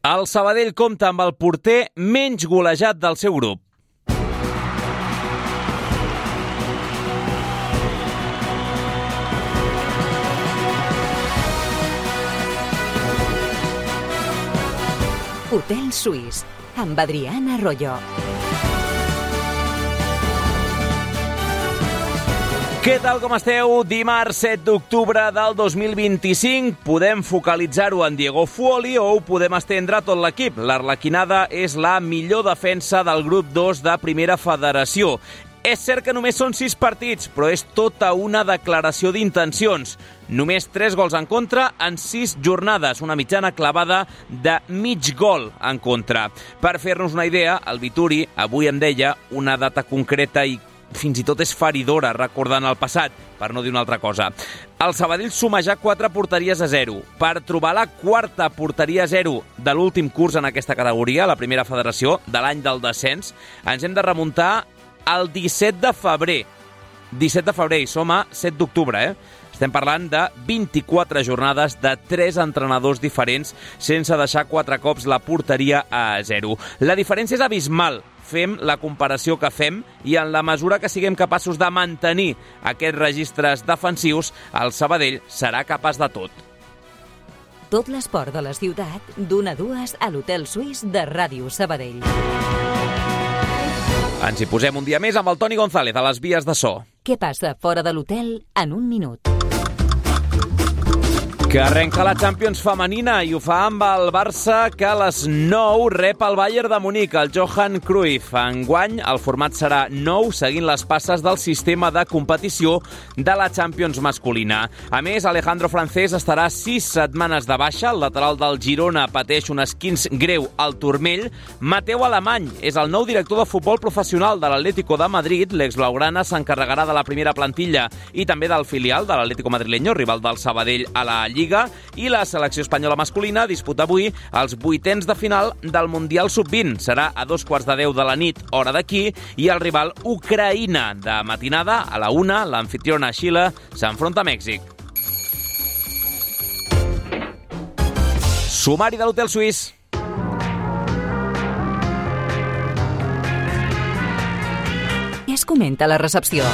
El Sabadell compta amb el porter menys golejat del seu grup. Hotel Suís, amb Adrián Arroyo. Què tal, com esteu? Dimarts 7 d'octubre del 2025. Podem focalitzar-ho en Diego Fuoli o ho podem estendre a tot l'equip. L'Arlequinada és la millor defensa del grup 2 de Primera Federació. És cert que només són 6 partits, però és tota una declaració d'intencions. Només 3 gols en contra en 6 jornades, una mitjana clavada de mig gol en contra. Per fer-nos una idea, el Vituri avui em deia una data concreta i fins i tot és feridora, recordant el passat, per no dir una altra cosa. El Sabadell suma ja 4 porteries a 0. Per trobar la 4ª porteria a 0 de l'últim curs en aquesta categoria, la Primera Federació, de l'any del descens, ens hem de remuntar al 17 de febrer. 17 de febrer, i som a 7 d'octubre, Estem parlant de 24 jornades de 3 entrenadors diferents sense deixar 4 cops la porteria a 0. La diferència és abismal. Fem la comparació que fem i en la mesura que siguem capaços de mantenir aquests registres defensius, el Sabadell serà capaç de tot. Tot l'esport de la ciutat, d'1 a 2 a l'Hotel Suís de Ràdio Sabadell. Ens hi posem un dia més amb el Toni González a les vies de so. Què passa fora de l'hotel en un minut? Que arrenca la Champions femenina i ho fa amb el Barça, que a les 9 rep el Bayern de Munic, el Johan Cruyff. Enguany el format serà nou, seguint les passes del sistema de competició de la Champions masculina. A més, Alejandro Francés estarà 6 setmanes de baixa. El lateral del Girona pateix un esquinç greu al turmell. Mateu Alemany és el nou director de futbol professional de l'Atlético de Madrid. L'ex-blaugrana s'encarregarà de la primera plantilla i també del filial de l'Atlético madrileño, rival del Sabadell a la Lliga, i la selecció espanyola masculina disputa avui els 8ens de final del Mundial Sub-20. Serà a 2:15 de la nit, hora d'aquí, i el rival Ucraïna. De matinada, a la 1, l'amfitriona Xile s'enfronta a Mèxic. Sumari de l'Hotel Suís. Què es comenta a la recepció?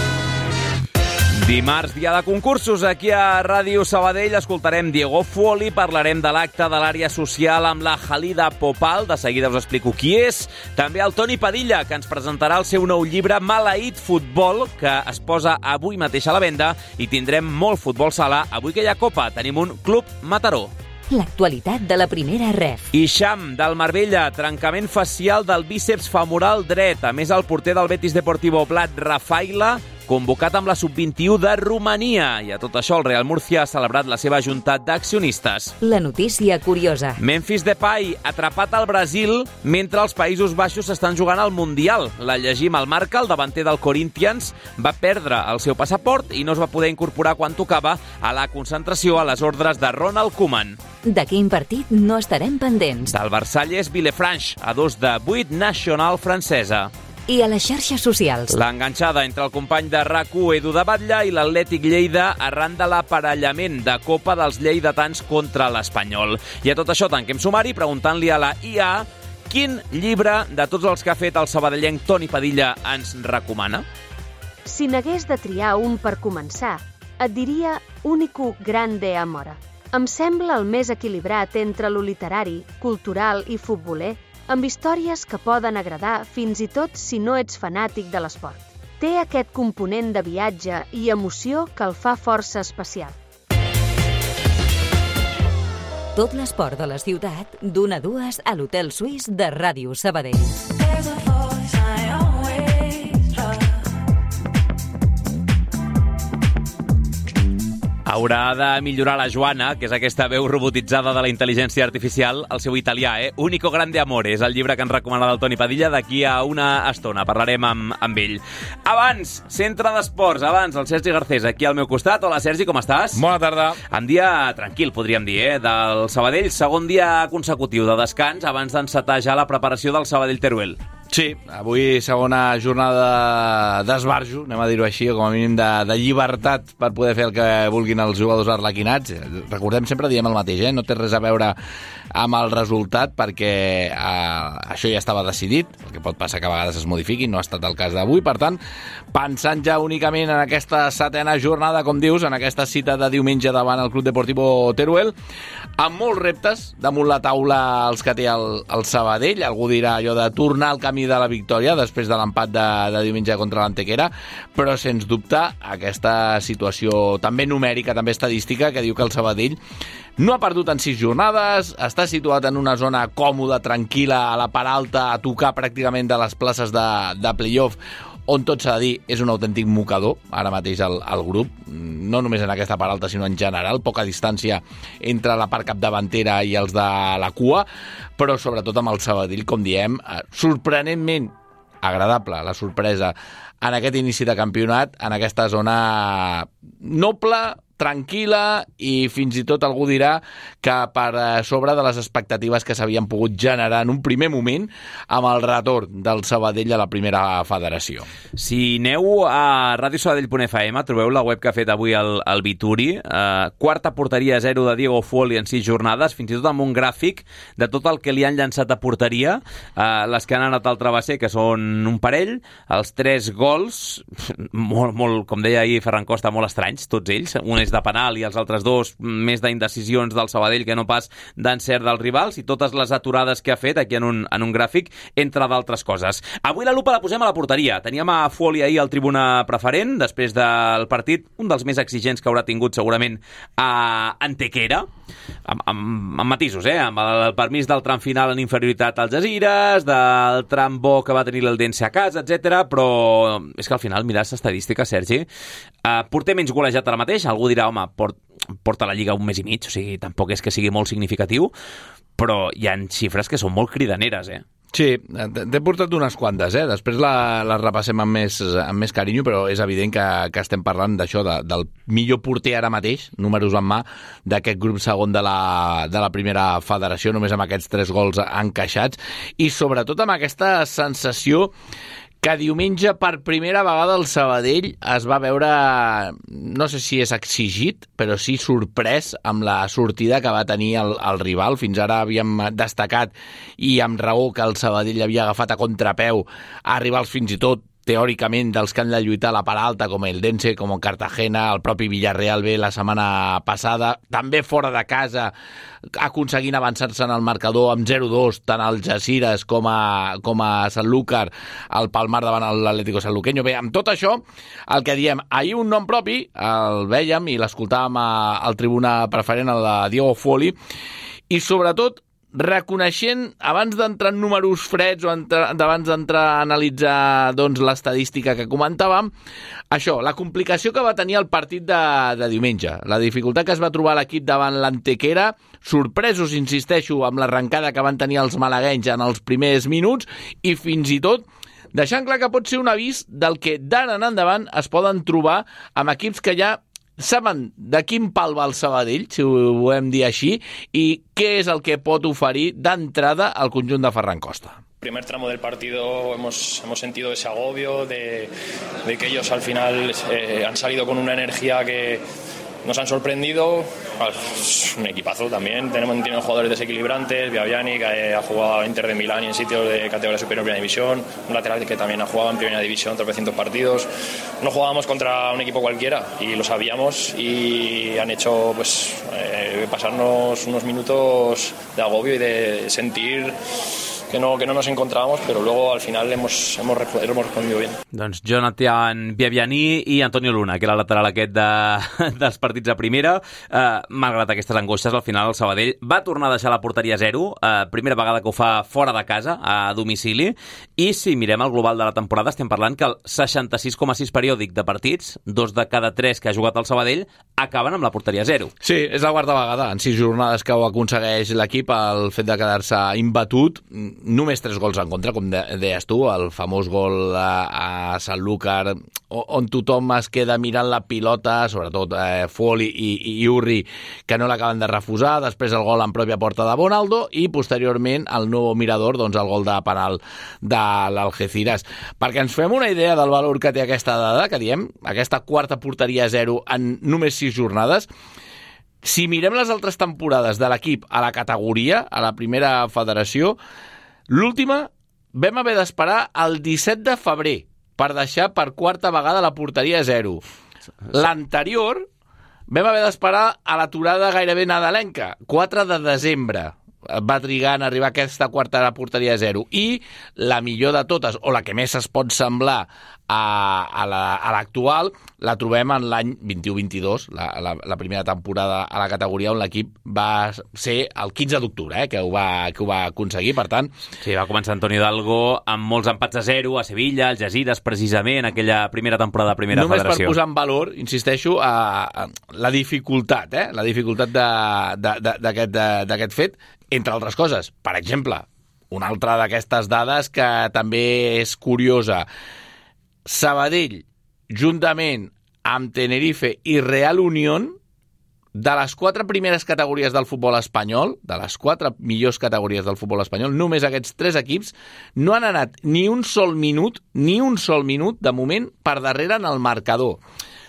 Dimarts, dia de concursos. Aquí a Ràdio Sabadell escoltarem Diego Fuoli, parlarem de l'acte de l'àrea social amb la Halida Popal, de seguida us explico qui és. També el Toni Padilla, que ens presentarà el seu nou llibre Maleït Futbol, que es posa avui mateix a la venda, i tindrem molt futbol sala. Avui que hi ha Copa, tenim un Club Mataró. L'actualitat de la primera ref. Ixam, del Marbella, trencament facial del bíceps femoral dret. A més, el porter del Betis Deportivo Blat, Rafaila, convocat amb la Sub-21 de Romania. I a tot això, el Real Murcia ha celebrat la seva junta d'accionistes. La notícia curiosa. Memphis Depay, atrapat al Brasil mentre els Països Baixos estan jugant al Mundial. La llegim al Marca, el davanter del Corinthians va perdre el seu passaport i no es va poder incorporar quan tocava a la concentració a les ordres de Ronald Koeman. De quin partit no estarem pendents? Del Versalles Villefranche, a 2/8 Nacional francesa. I a les xarxes socials. L'enganxada entre el company de RAC1 Edu de Batlle i l'Atlètic Lleida arran de l'aparellament de Copa dels lleidatans contra l'Espanyol. I a tot això tanquem sumari preguntant-li a la IA quin llibre de tots els que ha fet el sabadellenc Toni Padilla ens recomana. Si n'hagués de triar un per començar, et diria Único Grande Amore. Em sembla el més equilibrat entre lo literari, cultural i futboler, amb històries que poden agradar fins i tot si no ets fanàtic de l'esport. Té aquest component de viatge i emoció que el fa força especial. Tot l'esport de la ciutat, d'1 a 2 a l'Hotel Suís de Ràdio Sabadell. Haurà de millorar la Joana, que és aquesta veu robotitzada de la intel·ligència artificial, el seu italià, Único Grande Amore, és el llibre que ens recomana el Toni Padilla d'aquí a una estona. Parlarem amb ell. Abans, Centre d'Esports, el Sergi Garcés, aquí al meu costat. Hola, Sergi, com estàs? Bona tarda. En dia tranquil, podríem dir, del Sabadell. Segon dia consecutiu de descans abans d'encetar ja la preparació del Sabadell-Teruel. Sí, avui segona jornada d'esbarjo, anem a dir-ho així, o com a mínim de llibertat per poder fer el que vulguin els jugadors arlequinats. Recordem, sempre diem el mateix, no té res a veure amb el resultat, perquè això ja estava decidit, el que pot passar que a vegades es modifiqui, no ha estat el cas d'avui. Per tant, pensant ja únicament en aquesta 7ª jornada, com dius, en aquesta cita de diumenge davant el Club Deportivo Teruel, amb molts reptes damunt la taula els que té el Sabadell. Algú dirà allò de tornar al camí de la victòria després de l'empat de diumenge contra l'Antequera, però sens dubte aquesta situació també numèrica, també estadística, que diu que el Sabadell no ha perdut en 6 jornades, està situat en una zona còmoda, tranquil·la, a la part alta, a tocar pràcticament de les places de playoff, on tot s'ha de dir és un autèntic mocador ara mateix el grup, no només en aquesta part alta sinó en general, poca distància entre la part capdavantera i els de la cua, però sobretot amb el Sabadell, com diem, sorprenentment agradable la sorpresa en aquest inici de campionat, en aquesta zona noble, tranquil·la, i fins i tot algú dirà que per sobre de les expectatives que s'havien pogut generar en un primer moment amb el retorn del Sabadell a la primera federació. Si aneu a radiosabadell.fm, trobeu la web que ha fet avui el Vituri, quarta porteria 0 de Diego Fuoli en 6 jornades, fins i tot amb un gràfic de tot el que li han llançat a porteria, les que han anat al travesser, que són un parell, els 3 gols, molt, com deia ahir Ferran Costa, molt estranys, tots ells, un és de penal i els altres 2 més d'indecisions del Sabadell que no pas d'encert dels rivals, i totes les aturades que ha fet aquí en un gràfic, entre d'altres coses. Avui la lupa la posem a la porteria. Teníem a Fuoli ahir al tribuna preferent, després del partit, un dels més exigents que haurà tingut segurament a Antequera, amb matisos, amb el permís del tram final en inferioritat als Algesires, del tram bo que va tenir l'Eldense a casa, etc. Però és que al final, mires estadístiques, Sergi, porter menys golejat ara mateix, algú dirà, home, porta la Lliga un mes i mig, o sigui, tampoc és que sigui molt significatiu, però hi ha xifres que són molt cridaneres, Sí, t'he portat unes quantes, després les repassem amb més carinyo, però és evident que estem parlant d'això, del millor porter ara mateix, números en mà, d'aquest grup segon de la primera federació, només amb aquests 3 gols encaixats, i sobretot amb aquesta sensació que diumenge per primera vegada el Sabadell es va veure, no sé si és exigit, però sí sorprès amb la sortida que va tenir el rival. Fins ara havíem destacat, i amb raó, que el Sabadell havia agafat a contrapeu a rivals fins i tot teòricament dels que han de lluitar a la part alta, com el Eldense, com el Cartagena, el propi Villarreal B la setmana passada, també fora de casa, aconseguint avançar-se en el marcador amb 0-2, tant al Algesires com a Sanlúcar, el Palmar davant l'Atlético Sanluqueño. Bé, amb tot això, el que diem, ahir un nom propi, el vèiem i l'escoltàvem al tribuna preferent, el de Diego Fuoli, i sobretot reconeixent, abans d'entrar en números freds o abans d'entrar a analitzar l'estadística que comentàvem, això, la complicació que va tenir el partit de diumenge, la dificultat que es va trobar l'equip davant l'Antequera, sorpresos, insisteixo, amb l'arrencada que van tenir els malaguenys en els primers minuts, i fins i tot deixant clar que pot ser un avís del que d'ara en endavant es poden trobar amb equips que ja saben de quin pal va el Sabadell, si ho volem dir així, i què és el que pot oferir d'entrada al conjunt de Ferran Costa. Primer tramo del partido hemos sentido ese agobio de que ellos al final han salido con una energía que nos han sorprendido. Es un equipazo también, tienen jugadores desequilibrantes, Biabiani, que ha jugado en Inter de Milán y en sitios de categoría superior en primera división, un lateral que también ha jugado en primera división tropecientos partidos. No jugábamos contra un equipo cualquiera y lo sabíamos, y han hecho pasarnos unos minutos de agobio y de sentir que no nos encontrábamos, pero luego al final hemos respondido bien. Doncs Jonathan Biabiani i Antonio Luna, que era el lateral aquest dels partits de primera. Malgrat aquestes angoixes, al final el Sabadell va tornar a deixar la porteria 0, primera vegada que ho fa fora de casa, a domicili, i si mirem el global de la temporada estem parlant que el 66,6 periòdic de partits, 2 de cada 3 que ha jugat el Sabadell, acaben amb la porteria 0. Sí, és la quarta vegada en 6 jornades que ho aconsegueix l'equip, el fet de quedar-se imbatut. Només 3 gols en contra, com deies tu, el famós gol a Sanlúcar, on tothom es queda mirant la pilota, sobretot Fuoli i Urri, que no l'acaben de refusar, després el gol en pròpia porta de Bonaldo, i posteriorment el nou Mirador, doncs el gol de penal de l'Algeciras. Perquè ens fem una idea del valor que té aquesta dada, que diem, aquesta quarta porteria 0 en només 6 jornades, Si mirem les altres temporades de l'equip a la categoria, a la primera federació, l'última vam haver d'esperar el 17 de febrer per deixar per quarta vegada la porteria a 0. L'anterior vam haver d'esperar a l'aturada gairebé nadalenca, 4 de desembre. Va trigar en arribar a aquesta quarta porteria a 0. I la millor de totes, o la que més es pot semblar a l'actual, la trobem en l'any 21-22, la primera temporada a la categoria on l'equip va ser el 15 d'octubre, que ho va aconseguir, per tant... Sí, va començar Antonio Hidalgo amb molts empats a 0 a Sevilla, al Algeciras, precisament, aquella primera temporada de primera federació. Només per posar en valor, insisteixo, a la dificultat, la dificultat d'aquest fet, entre altres coses. Per exemple, una altra d'aquestes dades que també és curiosa. Sabadell, juntament amb Tenerife i Real Unión, de les 4 primeres categories del futbol espanyol, de les 4 millors categories del futbol espanyol, només aquests 3 equips no han anat ni un sol minut, de moment, per darrere en el marcador.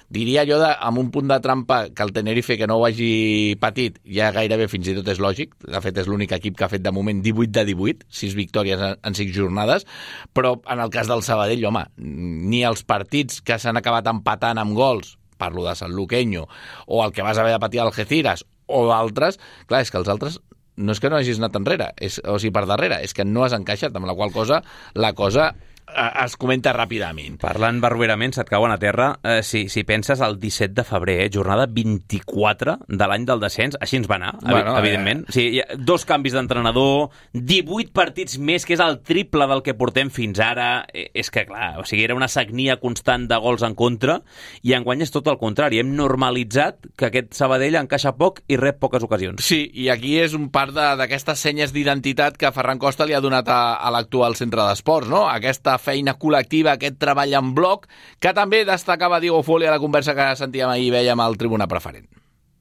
Diria jo, amb un punt de trampa, que el Tenerife, que no ho hagi patit, ja gairebé fins i tot és lògic. De fet, és l'únic equip que ha fet de moment 18 de 18, 6 victòries en 6 jornades, però en el cas del Sabadell, home, ni els partits que s'han acabat empatant amb gols, parlo de Sanluqueño, o el que vas haver de patir al Algeciras, o d'altres, clar, és que els altres no és que no hagis anat enrere, per darrere, és que no has encaixat, amb la qual cosa la cosa es comenta ràpidament. Parlant barroerament, se't cauen a terra, si penses el 17 de febrer, jornada 24 de l'any del descens, així ens va anar, evidentment. Sí, hi ha 2 canvis d'entrenador, 18 partits més, que és el triple del que portem fins ara. És que, clar, o sigui, era una sagnia constant de gols en contra, i enguany és tot el contrari. Hem normalitzat que aquest Sabadell encaixa poc i rep poques ocasions. Sí, i aquí és un part d'aquestes senyes d'identitat que Ferran Costa li ha donat a l'actual centre d'esports, no? Aquesta feina col·lectiva, aquest treball en bloc, que també destacava Diego Foley a la conversa que sentíem ahir i veiem al Tribuna Preferent.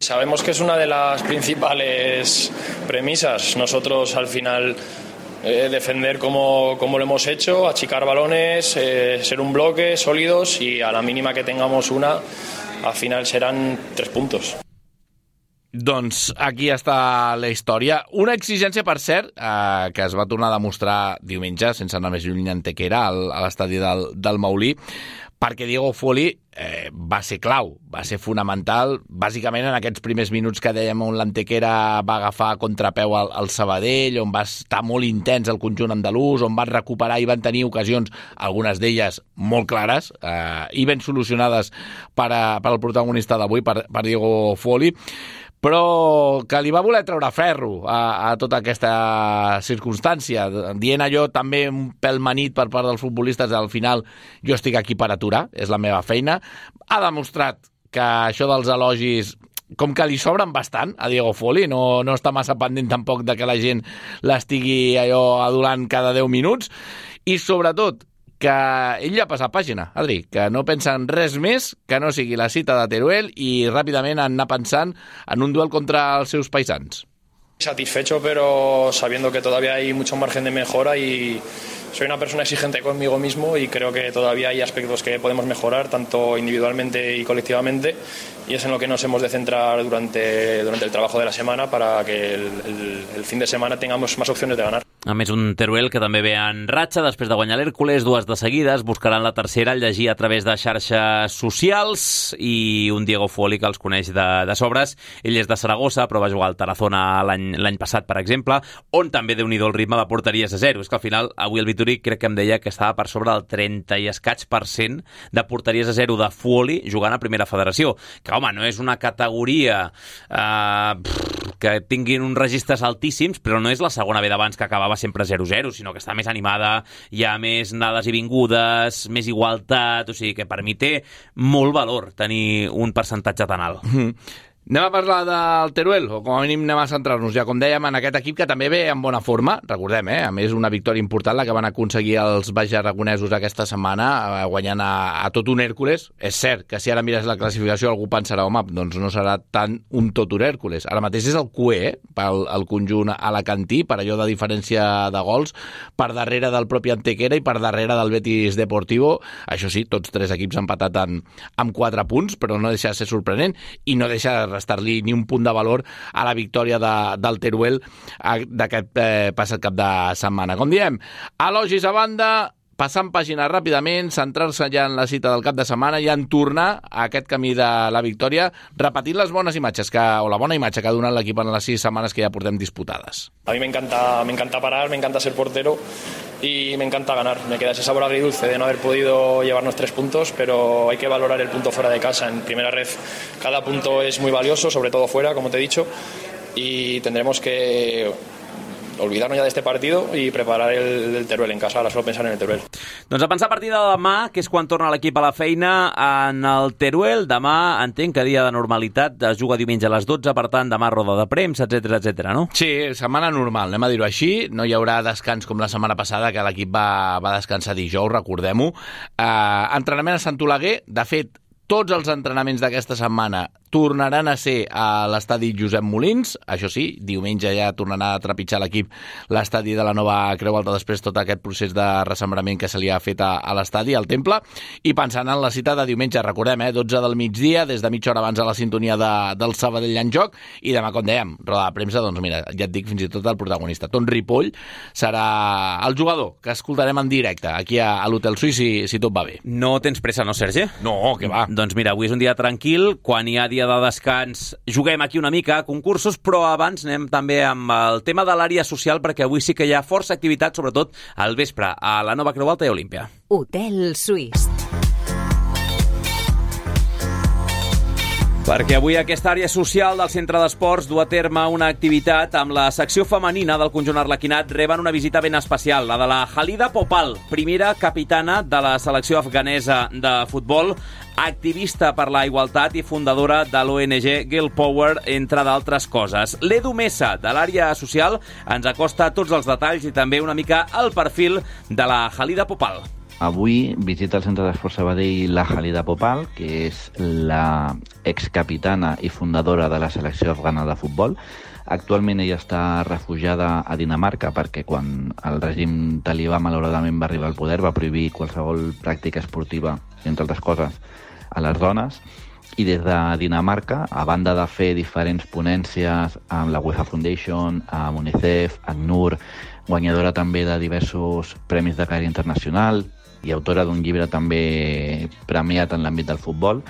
Sabemos que es una de las principales premisas. Nosotros al final defender como lo hemos hecho, achicar balones, ser un bloque, sólidos, y a la mínima que tengamos una, al final serán 3 puntos. Doncs aquí està la història. Una exigència, per cert, que es va tornar a demostrar diumenge, sense anar més lluny, en Antequera, a l'estadi del Maulí, perquè Diego Foley va ser clau, va ser fonamental, bàsicament en aquests primers minuts que dèiem on l'Antequera va agafar a contrapeu al Sabadell, on va estar molt intens el conjunt andalús, on van recuperar i van tenir ocasions, algunes d'elles molt clares i ben solucionades per al protagonista d'avui, per Diego Foley, però que li va voler treure ferro a tota aquesta circumstància, dient allò també un pèl manit per part dels futbolistes, al final jo estic aquí per aturar, és la meva feina. Ha demostrat que això dels elogis, com que li sobren bastant a Diego Foley, no està massa pendent tampoc de que la gent l'estigui allò adulant cada 10 minuts, i sobretot que ell ja ha passat pàgina, Adri, que no pensa en res més que no sigui la cita de Teruel i ràpidament anar pensant en un duel contra els seus paisans. Satisfecho, pero sabiendo que todavía hay mucho margen de mejora, y soy una persona exigente conmigo mismo y creo que todavía hay aspectos que podemos mejorar, tanto individualmente y colectivamente, y es en lo que nos hemos de centrar durante el trabajo de la semana para que el fin de semana tengamos más opciones de ganar. A més, un Teruel que també ve en ratxa després de guanyar l'Hèrcules, 2 de seguides, buscaran la tercera, el llegir a través de xarxes socials, i un Diego Foley que els coneix de sobres. Ell és de Saragossa, però va jugar al Tarazona l'any passat, per exemple, on també déu-n'hi-do el ritme de porteries a 0. És que al final, avui el Vitori crec que em deia que estava per sobre del 30 i escaig% de porteries a 0 de Foley jugant a Primera Federació. Que, home, no és una categoria que tinguin uns registres altíssims, però no és la segona B d'abans que acabava sempre 0-0, sinó que està més animada, hi ha més anades i vingudes, més igualtat, o sigui que per mi té molt valor tenir un percentatge tan alt. Anem a parlar del Teruel, o com a mínim anem a centrar-nos ja, com dèiem, en aquest equip que també ve en bona forma, recordem, a més una victòria important la que van aconseguir els baix aragonesos aquesta setmana, guanyant a tot un Hèrcules. És cert que si ara mires la classificació algú pensarà, home, doncs no serà tant un tot un Hèrcules. Ara mateix és el QE, pel conjunt alacantí, per allò de diferència de gols, per darrere del propi Antequera i per darrere del Betis Deportivo. Això sí, tots 3 equips han empatat amb 4 punts, però no deixa de ser sorprenent i no deixa de restar-li ni un punt de valor a la victòria del Teruel d'aquest passat cap de setmana. Com diem, elogis a banda, passant pàgina ràpidament, centrar-se ja en la cita del cap de setmana i en tornar a aquest camí de la victòria, repetint les bones imatges o la bona imatge que ha donat l'equip en les 6 setmanes que ja portem disputades. A mí me encanta parar, me encanta ser portero y me encanta ganar. Me queda ese sabor agridulce de no haber podido llevarnos 3 puntos, pero hay que valorar el punto fuera de casa. En primera red cada punto es muy valioso, sobre todo fuera, como te he dicho, y tendremos que olvidarnos ja d'este partido i preparar el Teruel en casa, ara solo pensar en el Teruel. Doncs a pensar a partir de demà, que és quan torna l'equip a la feina en el Teruel. Demà entenc que dia de normalitat, es juga diumenge a les 12, per tant demà roda de premsa, etc, no? Sí, setmana normal, anem a dir-ho així. No hi haurà descans com la setmana passada, que l'equip va descansar dijous, recordem-ho. Entrenament a Sant Oleguer, de fet, tots els entrenaments d'aquesta setmana tornaran a ser a l'estadi Josep Molins. Això sí, diumenge ja tornarà a trepitjar l'equip l'estadi de la nova Creu Alta després tot aquest procés de ressembrament que se li ha fet a l'estadi, al Temple, i pensant en la cita de diumenge, recordem, 12 del migdia, des de mitja hora abans a la sintonia del Sabadell en joc, i demà, com dèiem, roda de premsa, doncs mira, ja et dic fins i tot el protagonista. Ton Ripoll serà el jugador que escoltarem en directe aquí a l'Hotel Suís, si tot va bé. No tens pressa, no, Sergi? No, que va. Doncs mira, avui és un dia tranquil, quan hi ha dia de descans juguem aquí una mica a concursos, però abans anem també amb el tema de l'àrea social, perquè avui sí que hi ha força activitat, sobretot al vespre, a la nova Creu Alta i Olímpia. Hotel Suís. Perquè avui aquesta àrea social del centre d'esports du a terme una activitat amb la secció femenina del conjunt arlequinat. Reben una visita ben especial, la de la Khalida Popal, primera capitana de la selecció afganesa de futbol, activista per la igualtat i fundadora de l'ONG Girl Power, entre d'altres coses. L'Edu Mesa, de l'àrea social, ens acosta tots els detalls i també una mica el perfil de la Khalida Popal. Avui visita el centre d'esport Sabadell la Khalida Popal, que és la excapitana i fundadora de la selecció afgana de futbol. Actualment ella està refugiada a Dinamarca perquè quan el règim talibà malauradament va arribar al poder va prohibir qualsevol pràctica esportiva, entre altres coses, a les dones. I des de Dinamarca, a banda de fer diferents ponències amb la UEFA Foundation, amb UNICEF, ACNUR, guanyadora també de diversos premis de carrera internacional i autora d'un llibre també premiat en l'àmbit del futbol,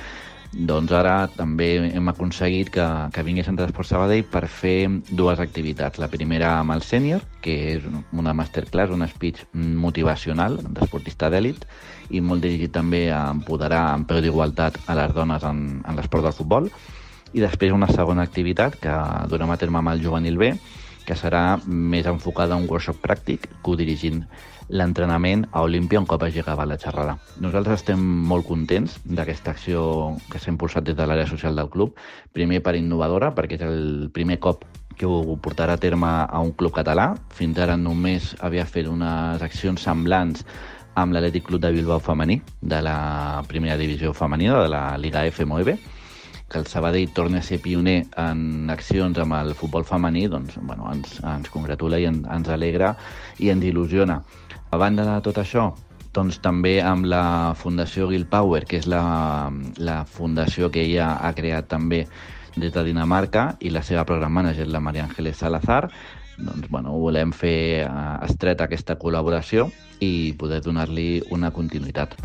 doncs ara també hem aconseguit que vingui a Centre d'Esport Sabadell per fer 2 activitats. La primera amb el sènior, que és una masterclass, un speech motivacional d'esportista d'èlit i molt dirigit també a empoderar en peu d'igualtat a les dones en l'esport del futbol. I després una segona activitat que durem a terme amb el juvenil B, que serà més enfocada a un workshop pràctic, codirigint l'entrenament a Olímpia un cop hagi acabat la xerrada. Nosaltres estem molt contents d'aquesta acció que s'ha impulsat des de l'àrea social del club, primer per innovadora, perquè és el primer cop que ho portarà a terme a un club català. Fins ara només havia fet unes accions semblants amb l'Atlètic Club de Bilbao femení, de la primera divisió femenina, de la Liga F9, que el Sabadell torni a ser pioner en accions amb el futbol femení, doncs, bueno, ens congratula i ens alegra i ens il·lusiona. A banda de tot això, doncs també amb la Fundació Girl Power, que és la fundació que ella ha creat també des de Dinamarca, i la seva program manager, la Maria Ángeles Salazar, doncs, bueno, volem fer estreta aquesta col·laboració i poder donar-li una continuïtat.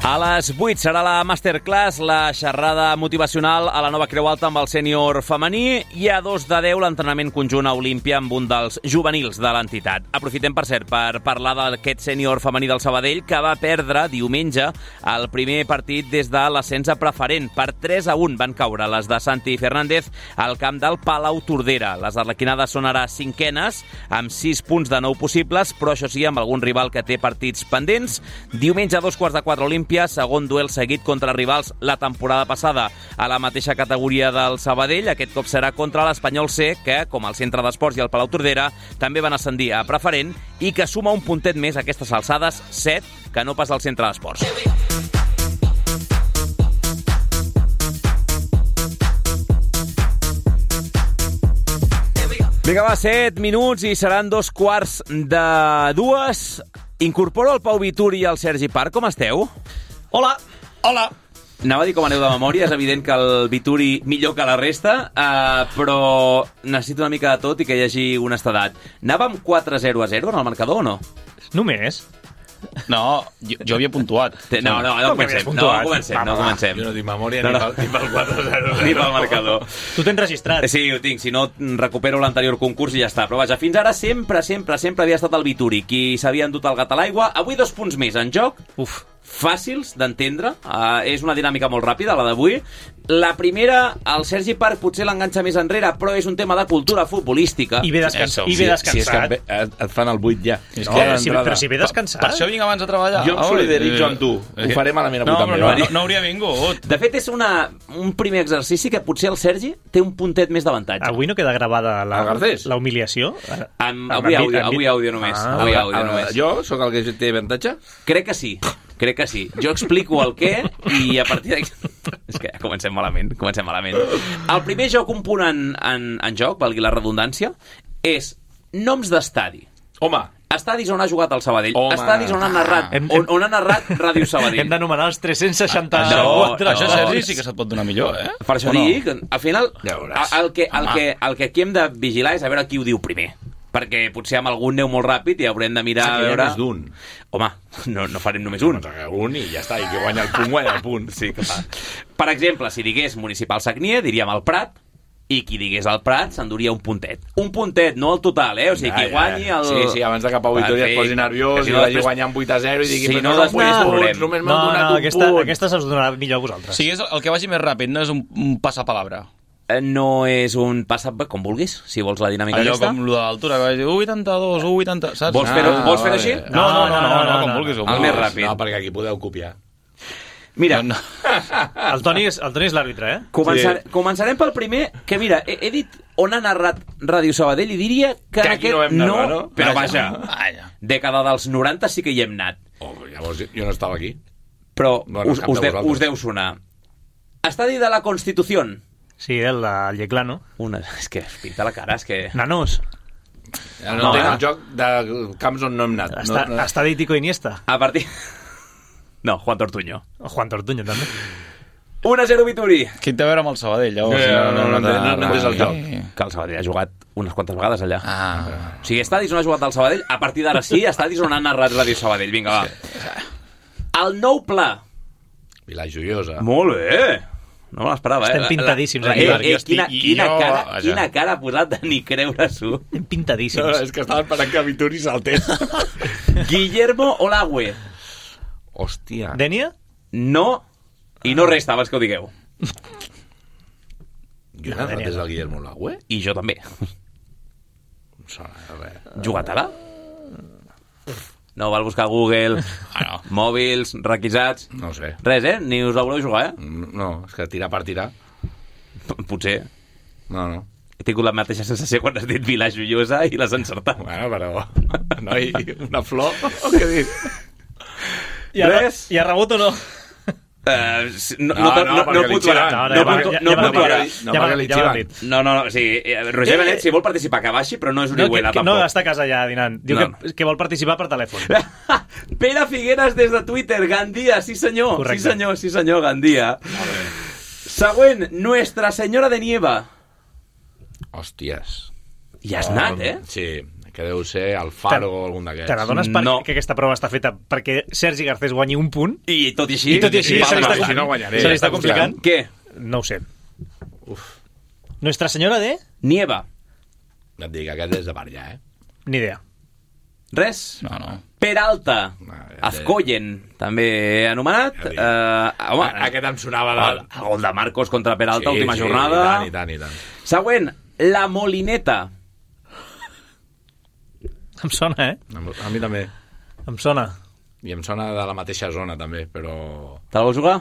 A les 8 serà la masterclass, la xerrada motivacional a la nova Creu Alta amb el sènior femení, i a 2 de 10 l'entrenament conjunt a Olímpia amb un dels juvenils de l'entitat. Aprofitem, per cert, per parlar d'aquest sènior femení del Sabadell que va perdre diumenge el primer partit des de l'ascens a preferent. Per 3-1 van caure les de Santi Fernández al camp del Palau Tordera. Les arlequinades són ara 5enes, amb 6 punts de 9 possibles, però això sí, amb algun rival que té partits pendents. Diumenge a 3:45 Olímpia, segon duel seguit contra rivals la temporada passada a la mateixa categoria del Sabadell. Aquest cop serà contra l'Espanyol C, que, com el Centre d'Esports i el Palau Tordera, també van ascendir a preferent i que suma un puntet més a aquestes alçades, 7, que no pas al Centre d'Esports. Vinga, va, 7 minuts i seran 2:15. Incorporo el Pau Vitur i el Sergi Parc. Com esteu? Hola. Hola. Anava a dir com aneu de memòria, és evident que el Vituri millor que la resta, però necessito una mica de tot i que hi hagi honestedat. Anàvem 4-0 a 0 en el marcador o no? Només? No, jo havia puntuat. No comencem. Jo no tinc memòria ni pel 4-0. Ni pel marcador. Tu tens registrat. Sí, ho tinc, si no recupero l'anterior concurs i ja està. Però vaja, fins ara sempre havia estat el Vituri qui s'havia endut el gat a l'aigua. Avui 2 punts més en joc. Fàcils d'entendre, és una dinàmica molt ràpida, la d'avui. La primera, el Sergi Parc potser l'enganxa més enrere, però és un tema de cultura futbolística. I ve descansat. Si és que et fan el 8 ja. Però si ve descansat. Per això vinc abans a treballar. Jo em solidaritzo amb tu. Ho faré malament avui també. No hauria vingut. De fet, és un primer exercici que potser el Sergi té un puntet més d'avantatge. Avui no queda gravada la humiliació? Avui àudio només. Jo sóc el que té avantatge? Crec que sí. Jo explico el què i a partir d'aquí... És que ja comencem malament. El primer joc, un punt en joc, valgui la redundància, és noms d'estadi. Home! Estadis on ha jugat el Sabadell. Estadis on ha narrat on ha narrat Ràdio Sabadell. Hem d'anomenar els 360... Això, Sergi, sí que se't pot donar millor, eh? Per això dic, al final, el que aquí hem de vigilar és a veure qui ho diu primer. Perquè potser amb algun neu molt ràpid i haurem de mirar a veure... Més d'un. Home, no farem només un. Un i ja està, i qui guanya el punt, Sí, que fa. Per exemple, si digués Municipal Sagnier, diríem el Prat, i qui digués el Prat s'enduria un puntet. Un puntet, no el total, O sigui, qui guanyi el... Sí, abans de que Pau Vitòria es posi nerviós i vagi guanyant 8-0 i digui... Si no, després veurem. Només m'han donat un punt. Aquesta se'ls donarà millor a vosaltres. Sí, és el que vagi més ràpid, no és un passapalabra. No és un passat com vulguis, si vols la dinàmica allò aquesta. Com lo de l'altura, que vaig dir 1,82, 1,80, saps? Vols fer-ho així? No, com vulguis. El més ràpid. No, perquè aquí podeu copiar. Mira, el Toni és l'àrbitre, Començarem pel primer, que mira, he dit on ha narrat Ràdio Sabadell i diria que en aquest no, però vaja, dècada dels 90 sí que hi hem anat. Llavors jo no estava aquí. Però us deu sonar. Estadi de la Constitució. Sí, el Lleclano. És que es pinta la cara, és que... Nanos. No entenc el joc de camps on no hem anat. Estadi Tico Iniesta. A partir... No, Juan Tortuño. Juan Tortuño, també. 1-0 Vituri. Què té a veure amb el Sabadell, llavors? No és el joc. Que el Sabadell ha jugat unes quantes vegades allà. O sigui, estadis on ha jugat el Sabadell, a partir d'ara sí, estadis on ha narrat Ràdio Sabadell. Vinga, va. El nou pla. Vila Joiosa. Molt bé. No me l'esperava, Estem pintadíssims aquí. Quina cara ha posat de ni creure-s'ho. Estem pintadíssims. No, és que estava esperant que Vituri saltés. Guillermo Olagüe. Hòstia. Dènia? No, i no resta abans que ho digueu. Jo he anat des del Guillermo Olagüe? I jo també. No sona res. Jugatala? No, val buscar Google, mòbils, requisats... No sé. Res, Ni us la voleu jugar, No, és que tirar per tirar. Potser. No. He tingut la mateixa sensació quan has dit Vila Joiosa i l'has encertat. Bueno, però... Noi, una flor? O què dius? Res? I ha rebut o no? No puntuarà. No, sí, Roger Benet, si vol participar, que baixi, però no és una iguela, tampoc. No, està a casa ja dinant. Diu que vol participar per telèfon. Pere Figueres des de Twitter, Gandia, sí senyor. Correcte. Sí senyor, Gandia. Següent, Nuestra Senyora de Nieva. Hòsties. Ja has anat, Sí, que deu ser el Faro o algun d'aquests. Te n'adones que aquesta prova està feta perquè Sergi Garcés guanyi un punt? I tot i així se li està complicant? Què? No ho sé. Nuestra Senyora de... Nieva. Et dic, aquest és de per allà, Ni idea. Res? No. Peralta. Azcoyen, també anomenat. Home, aquest em sonava el gol de Marcos contra Peralta, última jornada. I tant. Següent, La Molineta. Em sona, A mi també. Em sona. I em sona de la mateixa zona, també, però... Te la vols jugar?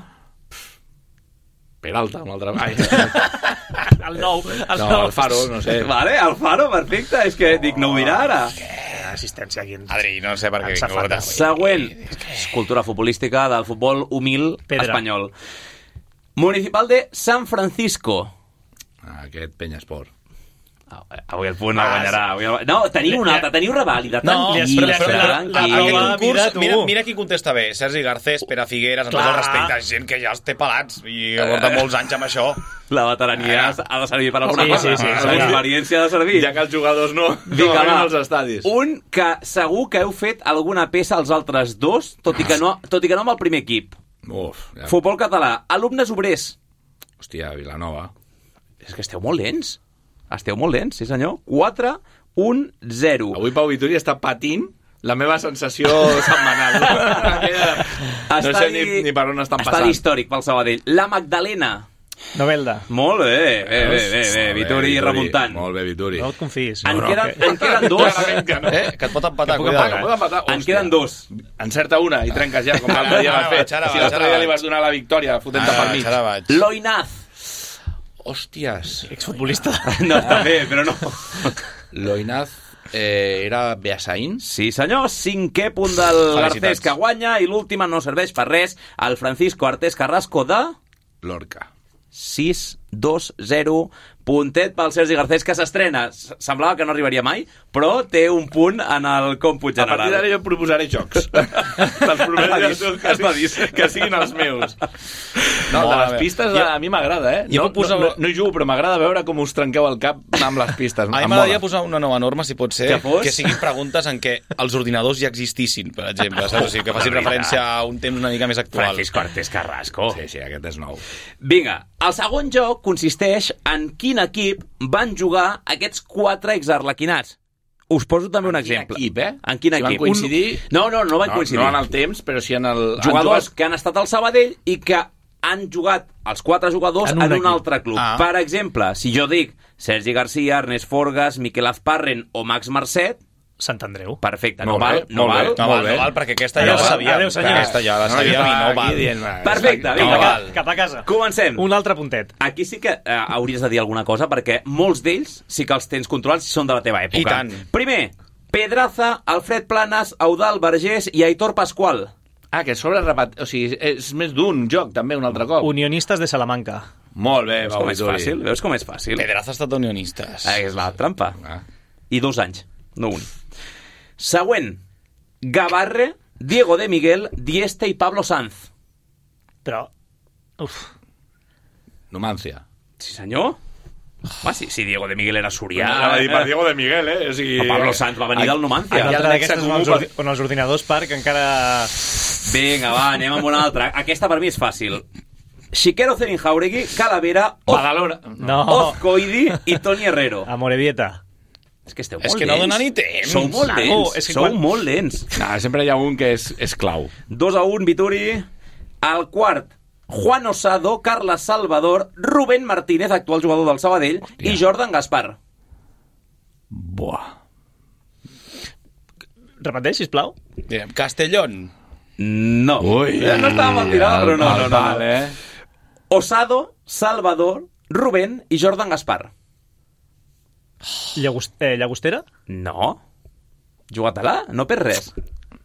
Peralta, un altre... El nou. El Faro, no sé. Vale, el Faro, perfecte. És que dic, no ho dirà ara. Assistència aquí. Adri, no sé per què vinc. Següent. Cultura futbolística del futbol humil espanyol. Municipal de San Francisco. Aquest Peñasport. Avui el punt el guanyarà. No, teniu una altra, teniu revàlida. Mira qui contesta bé. Sergi Garcés, Pere Figueres, amb tot el respecte, gent que ja els té pelats i porta molts anys amb això. La veterania ha de servir per alguna cosa. L'experiència ha de servir. Ja que els jugadors no van als estadis. Un que segur que heu fet alguna peça als altres dos, tot i que no amb el primer equip. Futbol català. Alumnes obrers. Hòstia, Vilanova. És que esteu molt lents. Sí senyor. 4-1-0. Avui Pau Vituri està patint la meva sensació setmanal. No sé ni per on estan passant. Estadi històric pel Sabadell. La Magdalena. Novelda. Molt bé, Vituri remuntant. Molt bé, Vituri. No et confis. En queden dos. Que et pot empatar, En queden dos. Encerta una i trenques ja, com l'altre dia vas fer. Si l'altre dia li vas donar la victòria fotent-te pel mig. Loinaz. Hòsties. Exfutbolista. No, també, però no. Loinaz era Beasaín? Sí, senyor. 5è punt del Garcés que guanya i l'última no serveix per res. El Francisco Artés Carrasco de... Lorca. 6-2-0. Puntet pel Sergi Garcés, que s'estrena. Semblava que no arribaria mai, però té un punt en el còmput general. A partir d'ara jo proposaré jocs. Te'ls prometo que siguin els meus. No, de les pistes a mi m'agrada, No hi jugo, però m'agrada veure com us trenqueu el cap amb les pistes. A mi m'agradaria posar una nova norma, si pot ser, que siguin preguntes en què els ordinadors ja existissin, per exemple. O sigui, que facin referència a un temps una mica més actual. Francisco Artés Carrasco. Sí, aquest és nou. Vinga, el segon joc consisteix en quin equip van jugar aquests 4 exarlequinats. Us poso també un exemple. En quin equip? Van coincidir? No van coincidir. No en el temps, però sí en el... Jugadors que han estat al Sabadell i que han jugat els 4 jugadors en un altre club. Per exemple, si jo dic Sergi Garcia, Ernest Forgas, Miquel Azparren o Max Marcet, Sant Andreu. Perfecte, no val, perquè aquesta ja la sabíem. Aquesta ja la sabíem i no val. Perfecte, vinga, cap a casa. Comencem. Un altre puntet. Aquí sí que hauries de dir alguna cosa, perquè molts d'ells sí que els tens controlats i són de la teva època. I tant. Primer, Pedraza, Alfred Planas, Eudald Vergés i Aitor Pascual. Que sobre o sigui, és més d'un joc, també, un altre cop. Unionistes de Salamanca. Molt bé, Veus com és fàcil? Veus com és fàcil? Pedraza ha estat unionistes. És la trampa. I 2 anys, no un. Següent. Gavarre, Diego de Miguel, Dieste i Pablo Sanz. Però... Numancia. Sí, senyor. Si Diego de Miguel era sorià... Anava a dir per Diego de Miguel, O sigui... Pablo Sanz va venir del Numancia. Una altra d'aquestes on els ordinadors Parc encara... Vinga, va, anem amb una altra. Aquesta per mi és fàcil. Xiquero Zerinjauregui, Calavera, Ozcoidi i Toni Herrero. Amorebieta. És que esteu molt lents. És que no dona ni temps. Sou molt lents. Sempre hi ha un que és clau. 2-1, Vituri. Al quart, Juan Osado, Carles Salvador, Rubén Martínez, actual jugador del Sabadell, i Jordan Gaspar. Buah. Repeteix, sisplau. Castellón. No. Ui, no estava mal tirat, però no. Vale. Osado, Salvador, Rubén i Jordan Gaspar. Llagostera? No. Jugatela, no per res.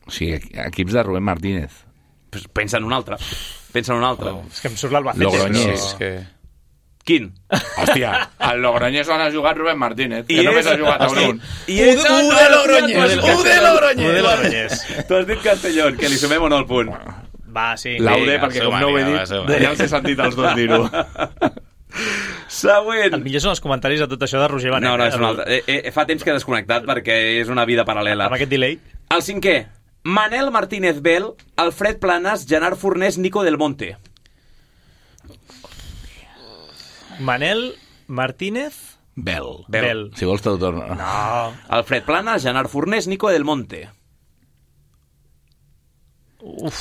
O sigui, equips de Rubén Martínez. Pues pensa en un altre. És que em surt l'Albacete. Logroñés. Quin? Hòstia, al Logroñés on ha jugat Rubén Martínez, que només ha jugat a un. U de Logroñés. Tu has dit Castellón, que li sumem o no el punt? Va, sí. L'Aude, perquè com no ho he dit, ja els he sentit els dos dir-ho. Següent. El millor són els comentaris de tot això de Roger Benet. No, és un altre. Fa temps que he desconnectat perquè és una vida paral·lela. Amb aquest delay. El 5è. Manel Martínez Bel, Alfred Planas, Gerard Fornés, Nico Del Monte. Manel Martínez Bel. Si vols te'l torno. No. Alfred Planas, Gerard Fornés, Nico Del Monte. El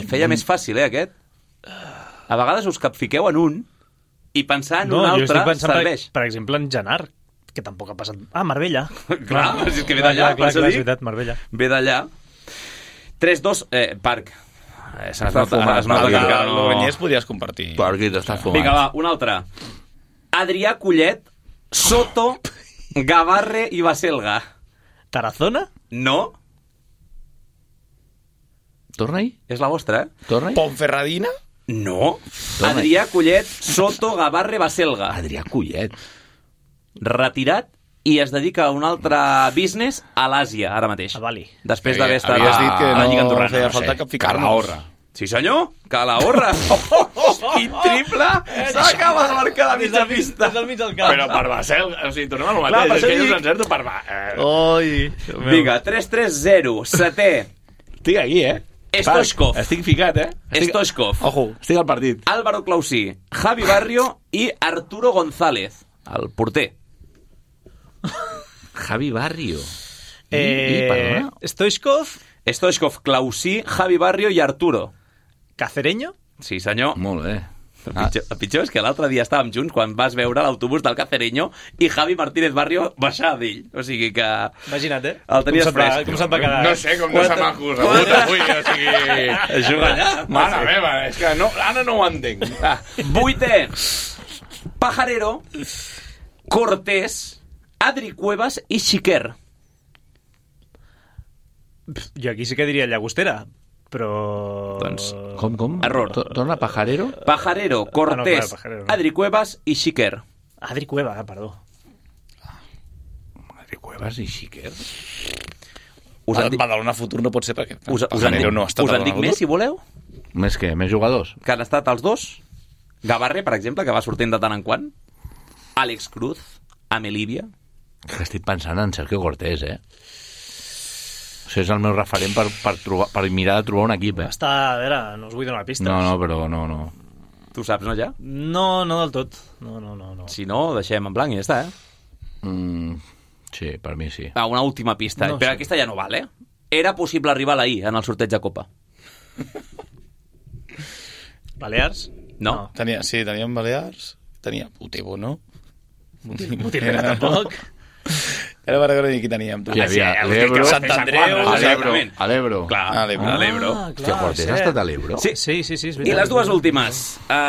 feia més fàcil, aquest? A vegades us capfiqueu en un i pensar en un altre serveix. Per exemple, en Genart, que tampoc ha passat... Marbella. Clar, és que ve d'allà. Clar, és veritat, Marbella. Ve d'allà. 3-2, Parc. Es nota que el Logroñés podries compartir. Parquit està fumat. Vinga, va, un altre. Adrià Collet, Soto, Gavarre i Baselga. Tarazona? No. Torna-hi? És la vostra, Torna-hi? Ponferradina? No. Adrià Collet, Soto, Gavarre, Baselga. Adrià Collet. retirat i es dedica a un altre business a l'Àsia, ara mateix. A Bali. Després d'haver estat Havies dit que a la Lliga Andorrana. feia falta cap ficar-nos. Sí, senyor, Calahorra. Quin triple! S'acaba de marcar la mitja pista. Des del mig del camp. Però per Basel, o sigui, tornem al mateix. És que jo s'encerto per Vinga, 3-3-0, setè. Estic aquí, Stoichkov. Estic ficat, Stoichkov. Ojo, estic al partit. Álvaro Clausí, Javi Barrio i Arturo González, el porter. Javi Barrio. Perdona? Stoichkov, Clausí, Javi Barrio i Arturo. Cacereño? Sí, senyor. Molt bé. El pitjor és que l'altre dia estàvem junts quan vas veure l'autobús del Cacereño i Javi Martínez Barrio baixar d'ell. O sigui que... Imagina't, El tenies fresc. Com se't va quedar? No sé com de samacos rebut avui, o sigui... Juga allà. Mare meva, és que no, ara no ho entenc. Vuitè. Pajarero, Cortés, Adri Cuevas i Xiquer. Jo aquí sí que diria Llagostera, però... Doncs... Com? Error. Torna Pajarero? Pajarero, Cortés, no, Pajarero, no. Adri Cuevas i Xiquer. Adri Cueva, perdó. Adri Cuevas i Xiquer? Badalona Futur no pot ser perquè... Us en dic més, si voleu? Més què? Més jugadors? Que han estat els dos. Gavarre, per exemple, que va sortint de tant en quant. Àlex Cruz, Amelívia. Que estic pensant en Sergio Cortés, O sigui, és el meu referent per mirar de trobar un equip, Està, a veure, no us vull donar pistes. No, però no. Tu saps, no, ja? No del tot. No. Si no, deixem en blanc i ja està, Sí, per mi sí. Una última pista, No però sé. aquesta ja no val, Era possible arribar a la I en el sorteig de Copa. Balears? No. Teníem Balears, tenia Utebo, no? Mutinera tampoc. Era per veure qui teníem. Hi havia l'Ebro, Sant Andreu, a l'Ebro. Clar, a l'Ebro. Hòstia, Cortés ha estat a l'Ebro? Sí. Sí, és veritat. I les dues últimes.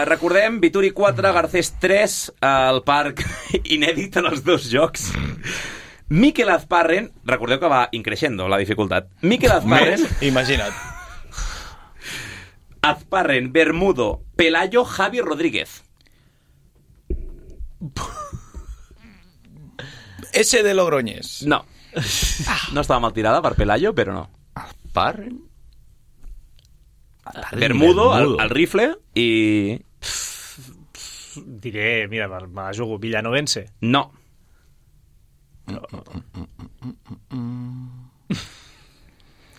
Recordem, Vituri 4, Garcés 3, al parc inèdit en els dos jocs. Mikel Azparren, recordeu que va increixendo la dificultat. Mikel Azparren... Imagina't. Azparren, Bermudo, Pelayo, Javi Rodríguez. S de Logroñés. No. No estava mal tirada per Pelayo, però no. Azparren? Bermudo, el rifle, i... Diré, mira, me la jugo, Villanovense. No.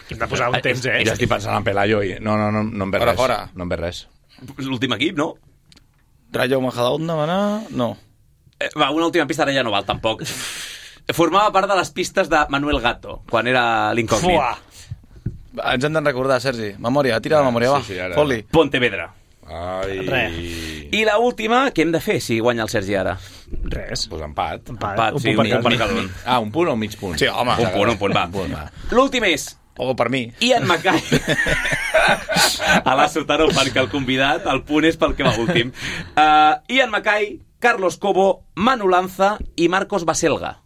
Hem de posar un temps, Ja estic pensant en Pelayo i... No em ve res. Fora. No em ve res. L'últim equip, no? Rayo Majadahonda, va anar... No. Va, una última pista ara ja no val, tampoc. Formava part de les pistes de Manuel Gato, quan era l'incògnit. Ens hem de recordar, Sergi. Memòria, tira la memòria, va. Sí, ara. Fot-li. Pontevedra. Ai... I la última, què hem de fer si guanya el Sergi ara? Res. Pues empat. Empat, sí, un punt per cada un. Un punt o mig punt? Sí, home. Un punt, va. L'últim és... O per mi. Ian Mackay. A la Sotaro, perquè el convidat, el punt és pel que va últim. Ian Mackay, Carlos Cobo, Manu Lanza i Marcos Baselga.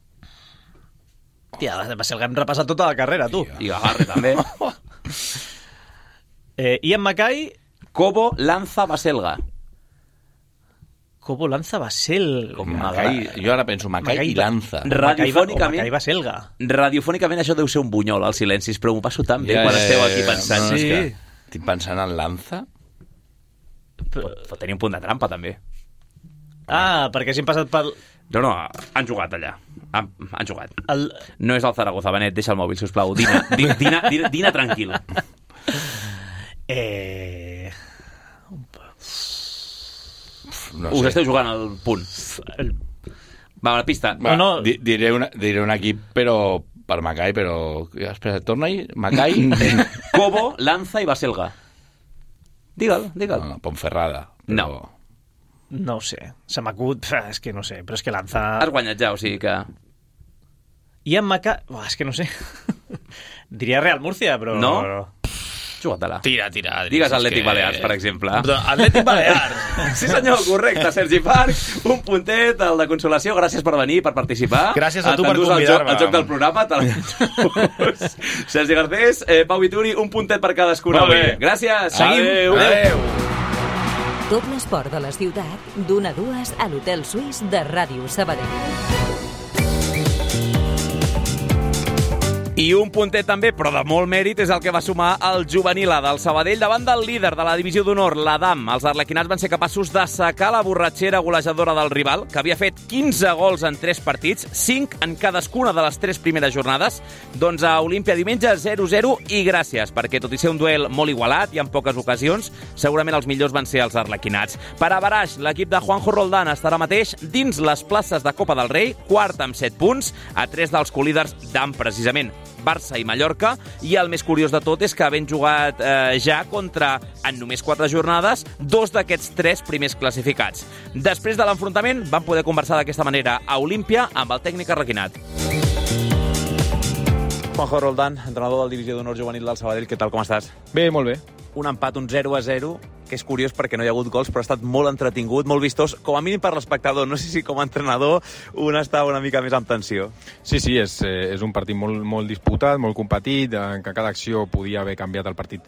Tia, Baselga hem repassat tota la carrera, tu. I Gavarre, també. Ian Mackay... Cobo, Lanza, Baselga. Cobo, Lanza, Basel... Jo ara penso Mackay i Lanza. Radiofònicament... Mackay, Baselga. Radiofònicament això deu ser un bunyol, als silencis, però m'ho passo tan bé quan esteu aquí pensant. No, estic pensant en Lanza. Pot tenir un punt de trampa, també. Perquè hagin passat pel... No, han jugat allà. Han jugat. No és el Zaragoza, Benet, deixa el mòbil, sisplau. Dina tranquil. Us esteu jugant al punt. Va, una pista. Diré un equip, però per Mackay, però... Espera, torna-hi. Mackay... Cobo, Lanza i Baselga. Digue'l. No, Ponferrada. No. No ho sé. Se m'acut... És que no sé, però és que Lanza... Has guanyat ja, o sigui que... Ian Mackay... És que no sé. Diria Real Murcia, però... No? Juga-te-la. Tira. Digues Atlètic Balears, per exemple. Atlètic Balears. Sí, senyor, correcte. Sergi Parc, un puntet, el de consolació. Gràcies per venir, per participar. Gràcies a tu per convidar-me. El joc del programa. Sergi Garcés, Pau Vituri, un puntet per cadascun. Molt bé. Gràcies. Seguim. Adéu. Tot l'esport de la ciutat, d'1 a 2 a l'Hotel Suís de Ràdio Sabadell. I un puntet també, però de molt mèrit, és el que va sumar el juvenil A del Sabadell davant del líder de la divisió d'honor, l'Adam. Els arlequinats van ser capaços d'assecar la borratxera golejadora del rival, que havia fet 15 gols en 3 partits, 5 en cadascuna de les 3 primeres jornades. Doncs a Olímpia diumenge 0-0 i gràcies, perquè tot i ser un duel molt igualat i en poques ocasions, segurament els millors van ser els arlequinats. Per a Baraix, l'equip de Juanjo Roldán estarà mateix dins les places de Copa del Rei, quart amb 7 punts, a 3 dels colíders d'AM, precisament. Barça i Mallorca, i el més curiós de tot és que havent jugat ja contra, en només 4 jornades, 2 d'aquests 3 primers classificats. Després de l'enfrontament, van poder conversar d'aquesta manera a Olímpia amb el tècnic arlequinat. Juanjo Roldán, entrenador del Divisió d'Honor Juvenil del Sabadell, què tal, com estàs? Bé, molt bé. Un empat, un 0-0, que és curiós perquè no hi ha hagut gols, però ha estat molt entretingut, molt vistós, com a mínim per l'espectador. No sé si com a entrenador un està una mica més amb tensió. Sí, és un partit molt disputat, molt competit, en què cada acció podia haver canviat el partit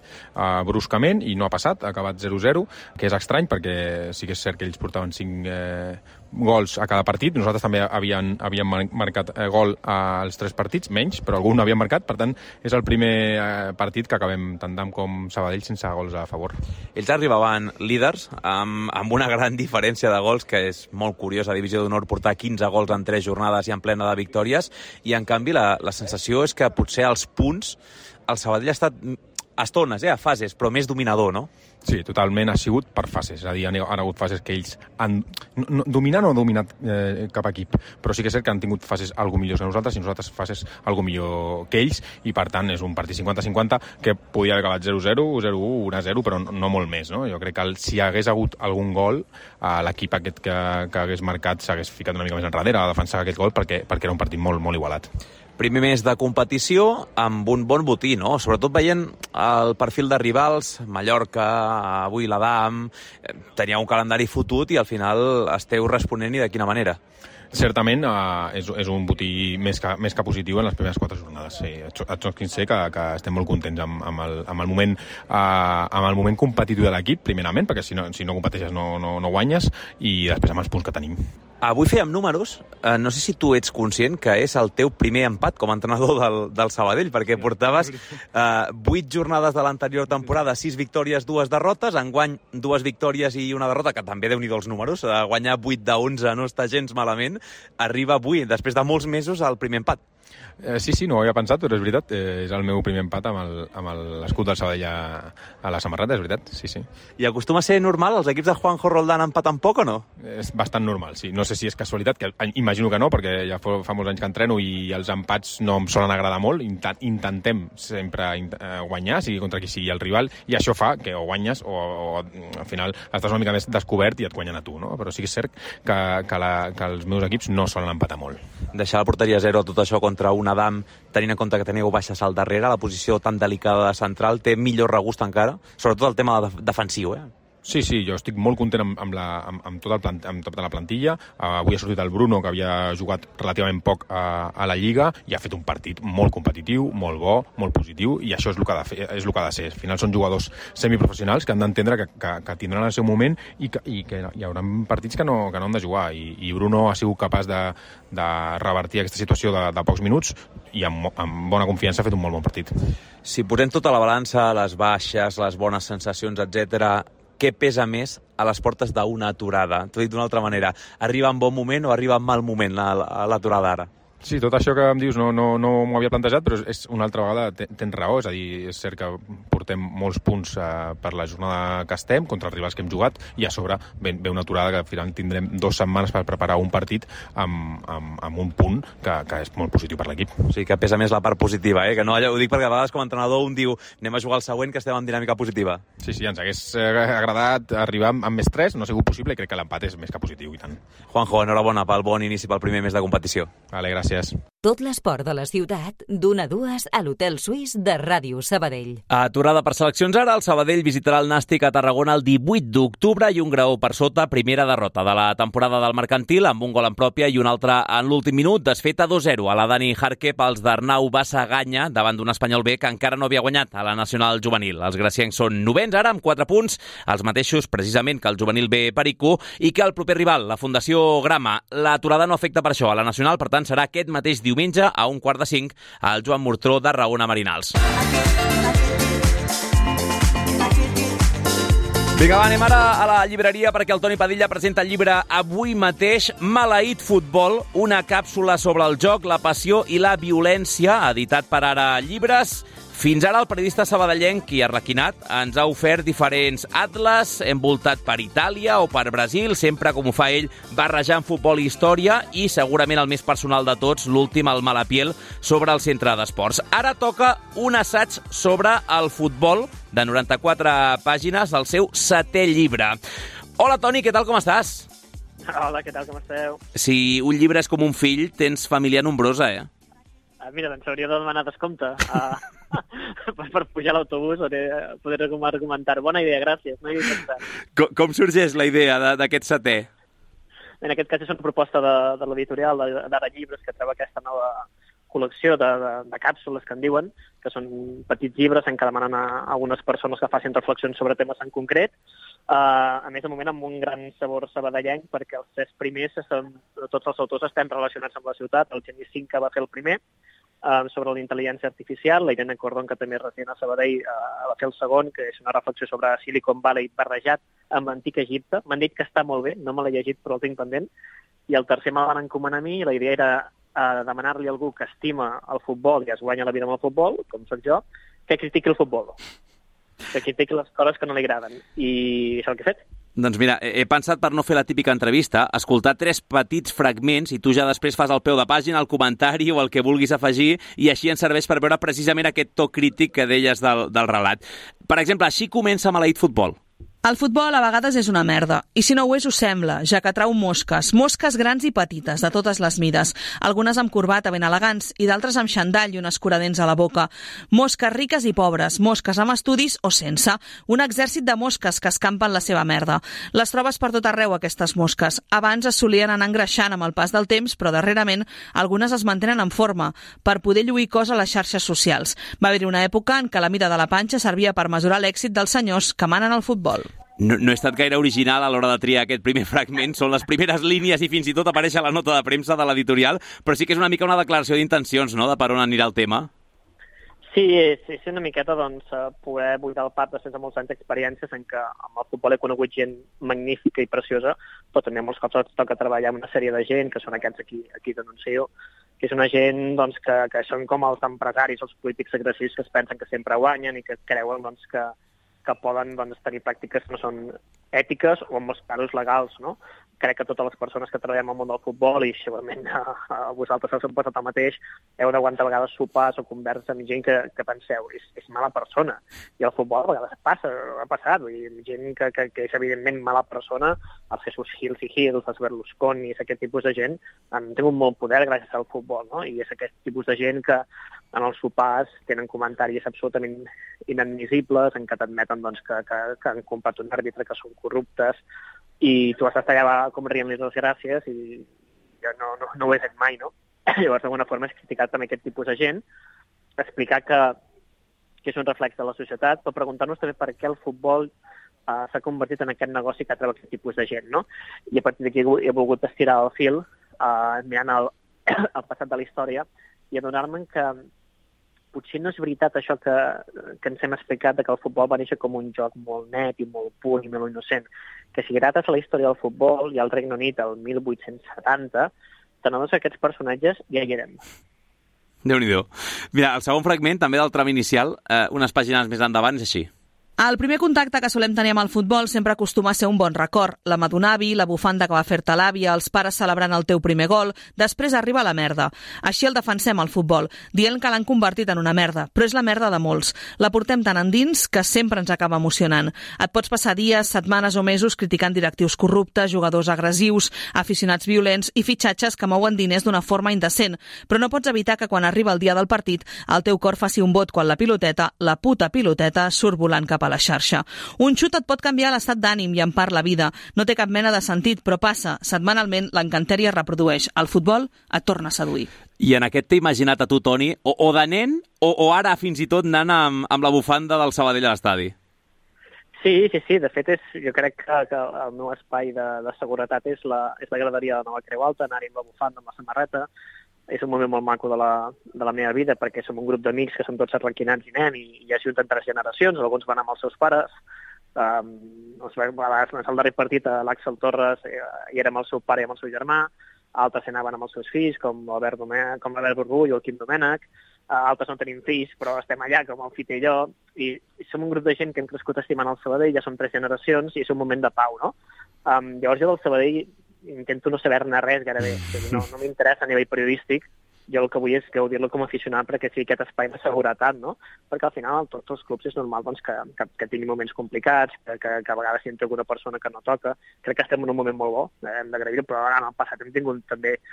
bruscament, i no ha passat, ha acabat 0-0, que és estrany perquè sí que és cert que ells portaven 5 gols a cada partit. Nosaltres també havíem marcat gol als 3 partits, menys, però algun havíem marcat. Per tant, és el primer partit que acabem tant d'AM com Sabadell sense gols a favor. Ells arribaven líders amb una gran diferència de gols, que és molt curiós a Divisió d'Honor portar 15 gols en 3 jornades i en plena de victòries, i en canvi la sensació és que potser als punts el Sabadell ha estat a estones, a fases, però més dominador, no? Sí, totalment, ha sigut per fases. És a dir, han hagut fases que ells han dominat o no han dominat cap equip, però sí que és cert que han tingut fases algo millors que nosaltres i nosaltres fases algo millor que ells, i per tant és un partit 50-50 que podia haver acabat 0-0, 0-1, 1-0, però no molt més, no? Jo crec que si hagués hagut algun gol, l'equip aquest que hagués marcat s'hagués ficat una mica més enrere a defensar aquest gol perquè era un partit molt igualat. Primer mes de competició amb un bon botí, no? Sobretot veient el perfil de rivals, Mallorca, avui l'Adam, tenia un calendari fotut i al final esteu responent, i de quina manera? Certament és un botí més que positiu en les primeres 4 jornades. Sí, et sé que estem molt contents amb el moment competitiu de l'equip, primerament, perquè si no competeixes no guanyes, i després amb els punts que tenim. Avui fèiem números, no sé si tu ets conscient que és el teu primer empat com a entrenador del Sabadell, perquè portaves 8 jornades de l'anterior temporada, 6 victòries, 2 derrotes, enguany 2 victòries i una derrota, que també Déu-n'hi-do els números, guanyar 8 de 11 no està gens malament, arriba avui, després de molts mesos, al primer empat. Sí, no ho havia pensat, però és veritat, és el meu primer empat amb l'escut del Sabadell a la samarreta, és veritat, sí. I acostuma a ser normal els equips de Juanjo Roldán empaten poc o no? És bastant normal, sí. No sé si és casualitat, que imagino que no, perquè ja fa molts anys que entreno i els empats no em solen agradar molt. Intentem sempre guanyar, sigui contra qui sigui el rival, i això fa que o guanyes o al final estàs una mica més descobert i et guanyen a tu, no? Però sí que és cert que els meus equips no solen empatar molt. Deixar la porteria 0 tot això contra un Adam, tenint en compte que teniu baixes al darrere, la posició tan delicada de central, té millor regust encara, sobretot el tema defensiu, Sí, jo estic molt content amb tota la plantilla. Avui ha sortit el Bruno, que havia jugat relativament poc a la Lliga, i ha fet un partit molt competitiu, molt bo, molt positiu, i això és el que ha de ser. Al final són jugadors semiprofessionals que han d'entendre que tindran el seu moment i que hi haurà partits que no han de jugar, i Bruno ha sigut capaç de revertir aquesta situació de pocs minuts, i amb bona confiança ha fet un molt bon partit. Si posem tota la balança, les baixes, les bones sensacions, etc., què pesa més a les portes d'una aturada? T'ho dic d'una altra manera, arriba en bon moment o arriba en mal moment l'aturada ara? Sí, tot això que em dius no m'ho havia plantejat, però és una altra vegada tens raó, és a dir, és cert que portem molts punts per la jornada que estem, contra els rivals que hem jugat, i a sobre ve una aturada que al final tindrem 2 setmanes per preparar un partit amb un punt que és molt positiu per l'equip. O sigui, que pesa més la part positiva, que no, ho dic perquè a vegades com a entrenador un diu anem a jugar al següent, que estem en dinàmica positiva. Sí, ens hagués agradat arribar amb més 3, no ha sigut possible, i crec que l'empat és més que positiu, i tant. Juanjo, enhorabona pel bon inici pel primer mes de competició. Vale, gràcies. Tot l'esport de la ciutat, d'1 a 2 a l'Hotel Suís de Ràdio Sabadell. Aturada per seleccions ara, el Sabadell visitarà el Nàstic a Tarragona el 18 d'octubre i un graó per sota, primera derrota de la temporada del Mercantil, amb un gol en pròpia i un altre en l'últim minut, desfeta 2-0 a la Dani Jarque pels d'Arnau Bassaganya davant d'un Espanyol B que encara no havia guanyat a la Nacional Juvenil. Els graciencs són novens ara, amb 4 punts, els mateixos precisament que el Juvenil B Perico i que el proper rival, la Fundació Grama. L'aturada no afecta per això a la Nacional, per tant serà aquest mateix diumenge a 4:45 al Joan Murtró de Raona Marinals. Vinga, va, anem ara a la llibreria perquè el Toni Padilla presenta el llibre avui mateix, Maleït Futbol, una càpsula sobre el joc, la passió i la violència, editat per Ara Llibres. Fins ara el periodista sabadellenc i arlequinat ens ha ofert diferents atles, envoltat per Itàlia o per Brasil, sempre com ho fa ell, barrejant futbol i història, i segurament el més personal de tots, l'últim, el Malapiel, sobre el centre d'esports. Ara toca un assaig sobre el futbol, de 94 pàgines, del seu 7è llibre. Hola, Toni, què tal, com estàs? Hola, què tal, com esteu? Si un llibre és com un fill, tens família nombrosa, eh? Mira, doncs hauria de demanar descompte per pujar a l'autobús o poder argumentar. Bona idea, gràcies. No hi havia pensat. Com sorgeix la idea d'aquest 7è? En aquest cas és una proposta de l'editorial d'Ara Llibres, que treu aquesta nova col·lecció de càpsules, que en diuen, que són petits llibres en què demanen a algunes persones que facin reflexions sobre temes en concret. A més, de moment, amb un gran sabor sabadellenc, perquè els 3 primers, tots els autors estem relacionats amb la ciutat. El Genís Cinca va fer el primer, sobre la intel·ligència artificial. La Irene Cordon, que també és resident a Sabadell, va fer el segon, que és una reflexió sobre Silicon Valley barrejat amb l'antic Egipte. M'han dit que està molt bé, no me l'he llegit, però el tinc pendent. I el tercer me van encomanar a mi, i la idea era demanar-li a algú que estima el futbol i es guanya la vida amb el futbol, com soc jo, que critiqui el futbol, que critiqui les coses que no li agraden. I és el que he fet. Doncs mira, he pensat, per no fer la típica entrevista, escoltar 3 petits fragments i tu ja després fas al peu de pàgina, el comentari o el que vulguis afegir, i així ens serveix per veure precisament aquest to crític que deies del relat. Per exemple, així comença Maleït Futbol. El futbol a vegades és una merda, i si no ho és, ho sembla, ja que trau mosques grans i petites, de totes les mides, algunes amb corbata ben elegants i d'altres amb xandall i un escuradents a la boca. Mosques riques i pobres, mosques amb estudis o sense, un exèrcit de mosques que escampen la seva merda. Les trobes per tot arreu, aquestes mosques. Abans es solien anar engreixant amb el pas del temps, però darrerament algunes es mantenen en forma, per poder lluir cos a les xarxes socials. Va haver-hi una època en què la mida de la panxa servia per mesurar l'èxit dels senyors que manen el futbol. No he estat gaire original a l'hora de triar aquest primer fragment, són les primeres línies i fins i tot apareix a la nota de premsa de l'editorial, però sí que és una mica una declaració d'intencions, no?, de per on anirà el tema. Sí, és una miqueta poder buidar el pap després de molts anys d'experiències en què amb el futbol he conegut gent magnífica i preciosa, però també molts cops toca treballar amb una sèrie de gent, que són aquests aquí denuncio, que és una gent que són com els empresaris, els polítics agressius que es pensen que sempre guanyen i que creuen que poden tenir pràctiques que no són ètiques o en molts casos legals, no? Crec que totes les persones que treballem al món del futbol, i segurament a vosaltres us ha passat el mateix, heu d'aguantar a vegades sopars o converses amb gent que penseu, és mala persona. I el futbol a vegades ha passat, gent que és evidentment mala persona, els Jesus Hills i Hills, els Berlusconi, aquest tipus de gent han tingut molt poder gràcies al futbol, no? I és aquest tipus de gent que en els sopars tenen comentaris absolutament inadmissibles en què t'admeten que han comprat un àrbitre, que són corruptes, i tu has d'estar allà com rient-li les gràcies i jo no ho he fet mai, no? Llavors, d'alguna forma, és criticar també aquest tipus de gent, explicar que és un reflex de la societat, però preguntar-nos també per què el futbol s'ha convertit en aquest negoci que atreu aquest tipus de gent, no? I a partir d'aquí he volgut estirar el fil mirant el passat de la història i adonar-me que potser no és veritat això que ens hem explicat, que el futbol va néixer com un joc molt net i molt pur i molt innocent. Que si grates a la història del futbol i al Regne Unit el 1870, t'adones que aquests personatges ja hi eren. Déu-n'hi-do. Mira, el segon fragment, també del tram inicial, unes pàgines més endavant, és així. El primer contacte que solem tenir amb el futbol sempre acostuma a ser un bon record. La mà d'un avi, la bufanda que va fer-te l'àvia, els pares celebrant el teu primer gol. Després arriba la merda. Així el defensem, el futbol, dient que l'han convertit en una merda, però és la merda de molts. La portem tan endins que sempre ens acaba emocionant. Et pots passar dies, setmanes o mesos criticant directius corruptes, jugadors agressius, aficionats violents i fitxatges que mouen diners d'una forma indecent, però no pots evitar que quan arriba el dia del partit el teu cor faci un vot quan la piloteta, la puta piloteta, surt volant cap a la xarxa. Un xut et pot canviar l'estat d'ànim i en part la vida. No té cap mena de sentit, però passa. Setmanalment l'encanteri es reprodueix. El futbol et torna a seduir. I en aquest t'he imaginat a tu, Toni, o de nen o ara fins i tot anant amb la bufanda del Sabadell a l'estadi? Sí. De fet, jo crec que el meu espai de seguretat és la graderia de Nova Creu Alta, anar-hi amb la bufanda, amb la samarreta. És un moment molt maco de la meva vida perquè som un grup d'amics que som tots arlequinats i anem i ja ajunten 3 generacions, alguns van amb els seus pares. A vegades el darrer partit a l'Àxel Torres hi era amb el seu pare i amb el seu germà, altres anaven amb els seus fills com l'Albert Borgull o el Quim Domènech, altres no tenim fills però estem allà com el Fite i jo i som un grup de gent que hem crescut estimant el Sabadell, ja som 3 generacions i és un moment de pau, no? Llavors jo del Sabadell intento no saber-ne res gairebé, no m'interessa a nivell periodístic, jo el que vull és gaudir-lo com a aficionat perquè sigui aquest espai de seguretat, no? Perquè al final tots els clubs és normal doncs, que tinguin moments complicats, que a vegades hi entra alguna persona que no toca. Crec que estem en un moment molt bo, hem d'agrair-ho, però en el passat hem tingut també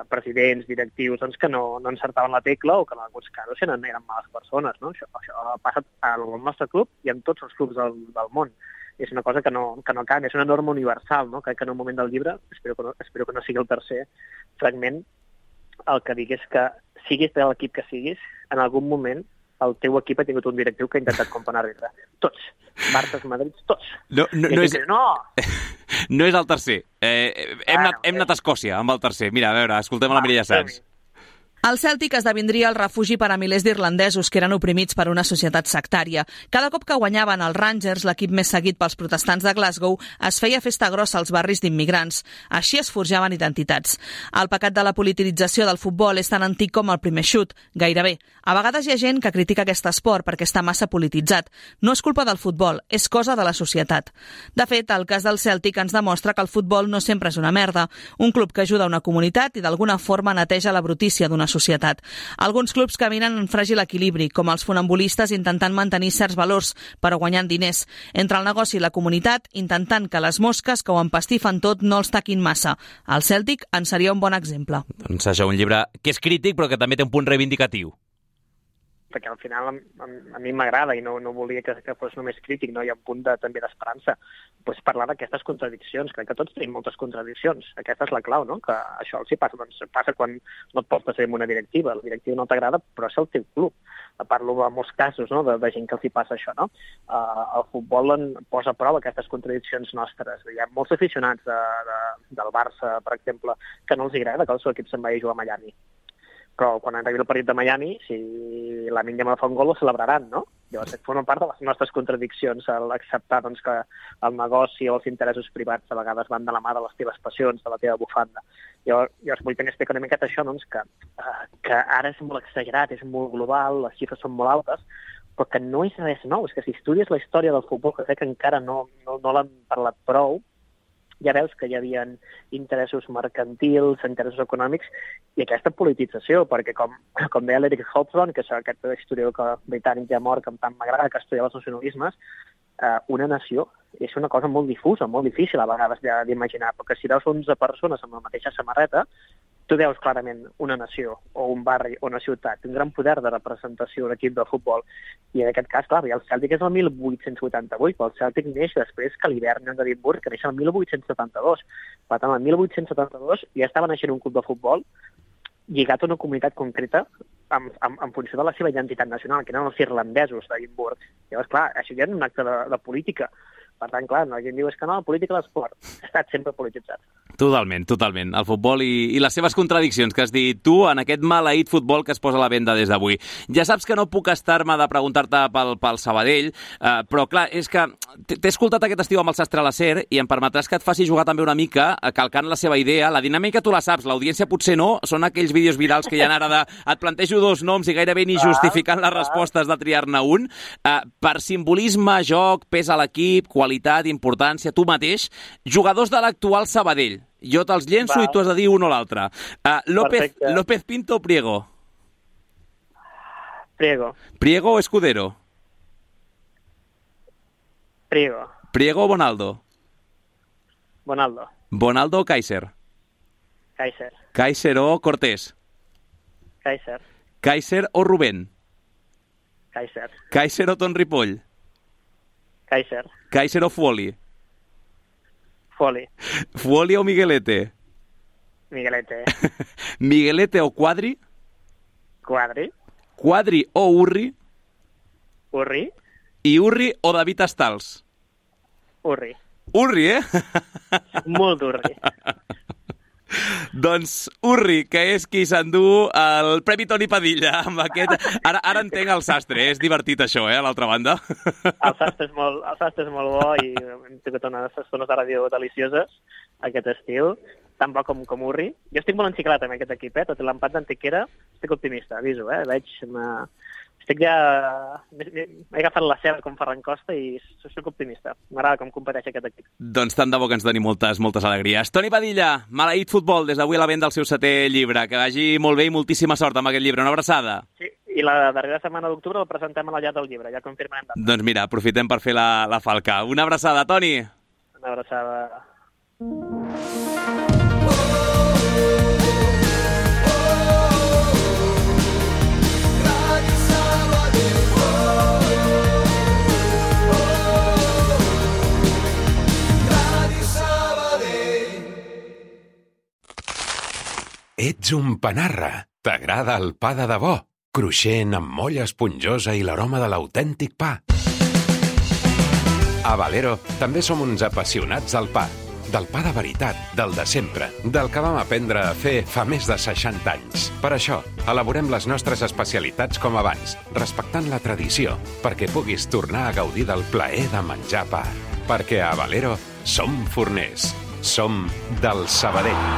presidents, directius, doncs, que no encertaven la tecla o que en alguns casos eren males persones, no? Això ha passat al nostre club i en tots els clubs del món. És una cosa que no canvia, és una norma universal, no? Que en un moment del llibre, espero que no sigui el tercer fragment, el que dic és que siguis de l'equip que siguis, en algun moment el teu equip ha tingut un directiu que ha intentat com a àrbitre. Tots. Barça, Madrid, tots. No és el tercer. Hem anat a Escòcia amb el tercer. Mira, a veure, escoltem la Mireia Sans. El Cèltic esdevindria el refugi per a milers d'irlandesos que eren oprimits per una societat sectària. Cada cop que guanyaven els Rangers, l'equip més seguit pels protestants de Glasgow, es feia festa grossa als barris d'immigrants. Així es forjaven identitats. El pecat de la politització del futbol és tan antic com el primer xut, gairebé. A vegades hi ha gent que critica aquest esport perquè està massa polititzat. No és culpa del futbol, és cosa de la societat. De fet, el cas del Cèltic ens demostra que el futbol no sempre és una merda. Un club que ajuda una comunitat i d'alguna forma neteja la brutícia d'una societat. Alguns clubs caminen en fràgil equilibri, com els funambulistes intentant mantenir certs valors, però guanyant diners. Entre el negoci i la comunitat, intentant que les mosques que ho empastifen tot no els taquin massa. El Cèltic en seria un bon exemple. Doncs això, un llibre que és crític, però que també té un punt reivindicatiu. Perquè al final a mi m'agrada i no volia que fos només crític, no? Hi ha un punt també d'esperança. Pues parlar d'aquestes contradiccions, crec que tots tenim moltes contradiccions. Aquesta és la clau, no? Que això els hi passa. Doncs passa quan no et portes en una directiva. La directiva no t'agrada, però és el teu club. Parlo de molts casos, no? De gent que els hi passa això, no? El futbol posa a prova aquestes contradiccions nostres. Hi ha molts aficionats del Barça, per exemple, que no els agrada que el seu equip se'n vagi a jugar a Miami. Però quan arribi el partit de Miami, si Lamine Yamal fa un gol, ho celebraran, no? Llavors, forma part de les nostres contradiccions, l'acceptar doncs, que el negoci o els interessos privats a vegades van de la mà de les teves passions, de la teva bufanda. Llavors vull també explicar una miqueta això, doncs, que ara és molt exagerat, és molt global, les xifres són molt altes, però que no és res nou. És que si estudies la història del futbol, que crec que encara no l'han parlat prou, ja veus que hi havia interessos mercantils, interessos econòmics i aquesta politització, perquè com deia l'Eric Hobsbawm, que és aquest historiador britànic ja mort, que tant m'agrada, que estudia els nacionalismes, una nació és una cosa molt difusa, molt difícil a vegades d'imaginar, perquè si veus 11 persones amb la mateixa samarreta, tu veus clarament una nació o un barri o una ciutat, un gran poder de representació d'un equip de futbol. I en aquest cas, clar, el Cèltic és el 1888, però el Cèltic neix després que l'Hibernian d'Edimburg, que neix el 1872. Per tant, el 1872 ja estava naixent un club de futbol lligat a una comunitat concreta en funció de la seva identitat nacional, que eren els irlandesos d'Edimburg. Llavors, clar, això ja és un acte de política. Per tant, clar, la gent diu que no, la política de l'esport ha estat sempre polititzat. Totalment. El futbol i les seves contradiccions que has dit tu en aquest maleït futbol que es posa a la venda des d'avui. Ja saps que no puc estar-me de preguntar-te pel Sabadell, però clar, és que t'he escoltat aquest estiu amb el Sastre a la SER i em permetràs que et faci jugar també una mica calcant la seva idea. La dinàmica tu la saps, l'audiència potser no, són aquells vídeos virals que hi ha ara de et plantejo 2 noms i gairebé ni justificant les respostes de triar-ne un. Per simbolisme, joc, pes a l'equip, qualitat, importància, tu mateix, jugadors de l'actual Sabadell. Jo te'ls llenço i tu has de dir un o l'altre. López Pinto o Priego? Priego. Priego o Escudero? Priego. Priego o Bonaldo? Bonaldo. Bonaldo o Kaiser? Kaiser. Kaiser o Cortés? Kaiser. Kaiser o Rubén? Kaiser. Kaiser o Ton Ripoll? Kaiser. Kaiser o Fuoli? Fuoli. Fuoli o Miguelete? Miguelete. Miguelete o Quadri? Quadri. Quadri o Urri? Urri. I Urri o David Astals? Urri. Urri, Molt Urri. Doncs Urri, que és qui s'endú el Premi Toni Padilla amb aquest... Ara entenc el Sastre, és divertit això, a l'altra banda. El Sastre és molt bo i hem tingut unes estones de ràdio delicioses aquest estiu, tan bo com Urri. Jo estic molt enciclat amb aquest equip, tot l'empat d'Antequera, estic optimista, aviso, veig... Estic ja... He agafat la seva com Ferran Costa i soc optimista. M'agrada com competeix aquest equip. Doncs tant de bo que ens doni moltes alegries. Toni Padilla, Maleït Futbol, des d'avui a la venda del seu 7è llibre. Que vagi molt bé i moltíssima sort amb aquest llibre. Una abraçada. Sí, i la darrera setmana d'octubre el presentem a la llar del llibre, ja confirmarem data. Doncs mira, aprofitem per fer la falca. Una abraçada, Toni. Una abraçada. Ets un panarra. T'agrada el pa de debò, cruixent amb molla esponjosa i l'aroma de l'autèntic pa. A Valero també som uns apassionats del pa de veritat, del de sempre, del que vam aprendre a fer fa més de 60 anys. Per això, elaborem les nostres especialitats com abans, respectant la tradició, perquè puguis tornar a gaudir del plaer de menjar pa. Perquè a Valero som forners, som del Sabadell.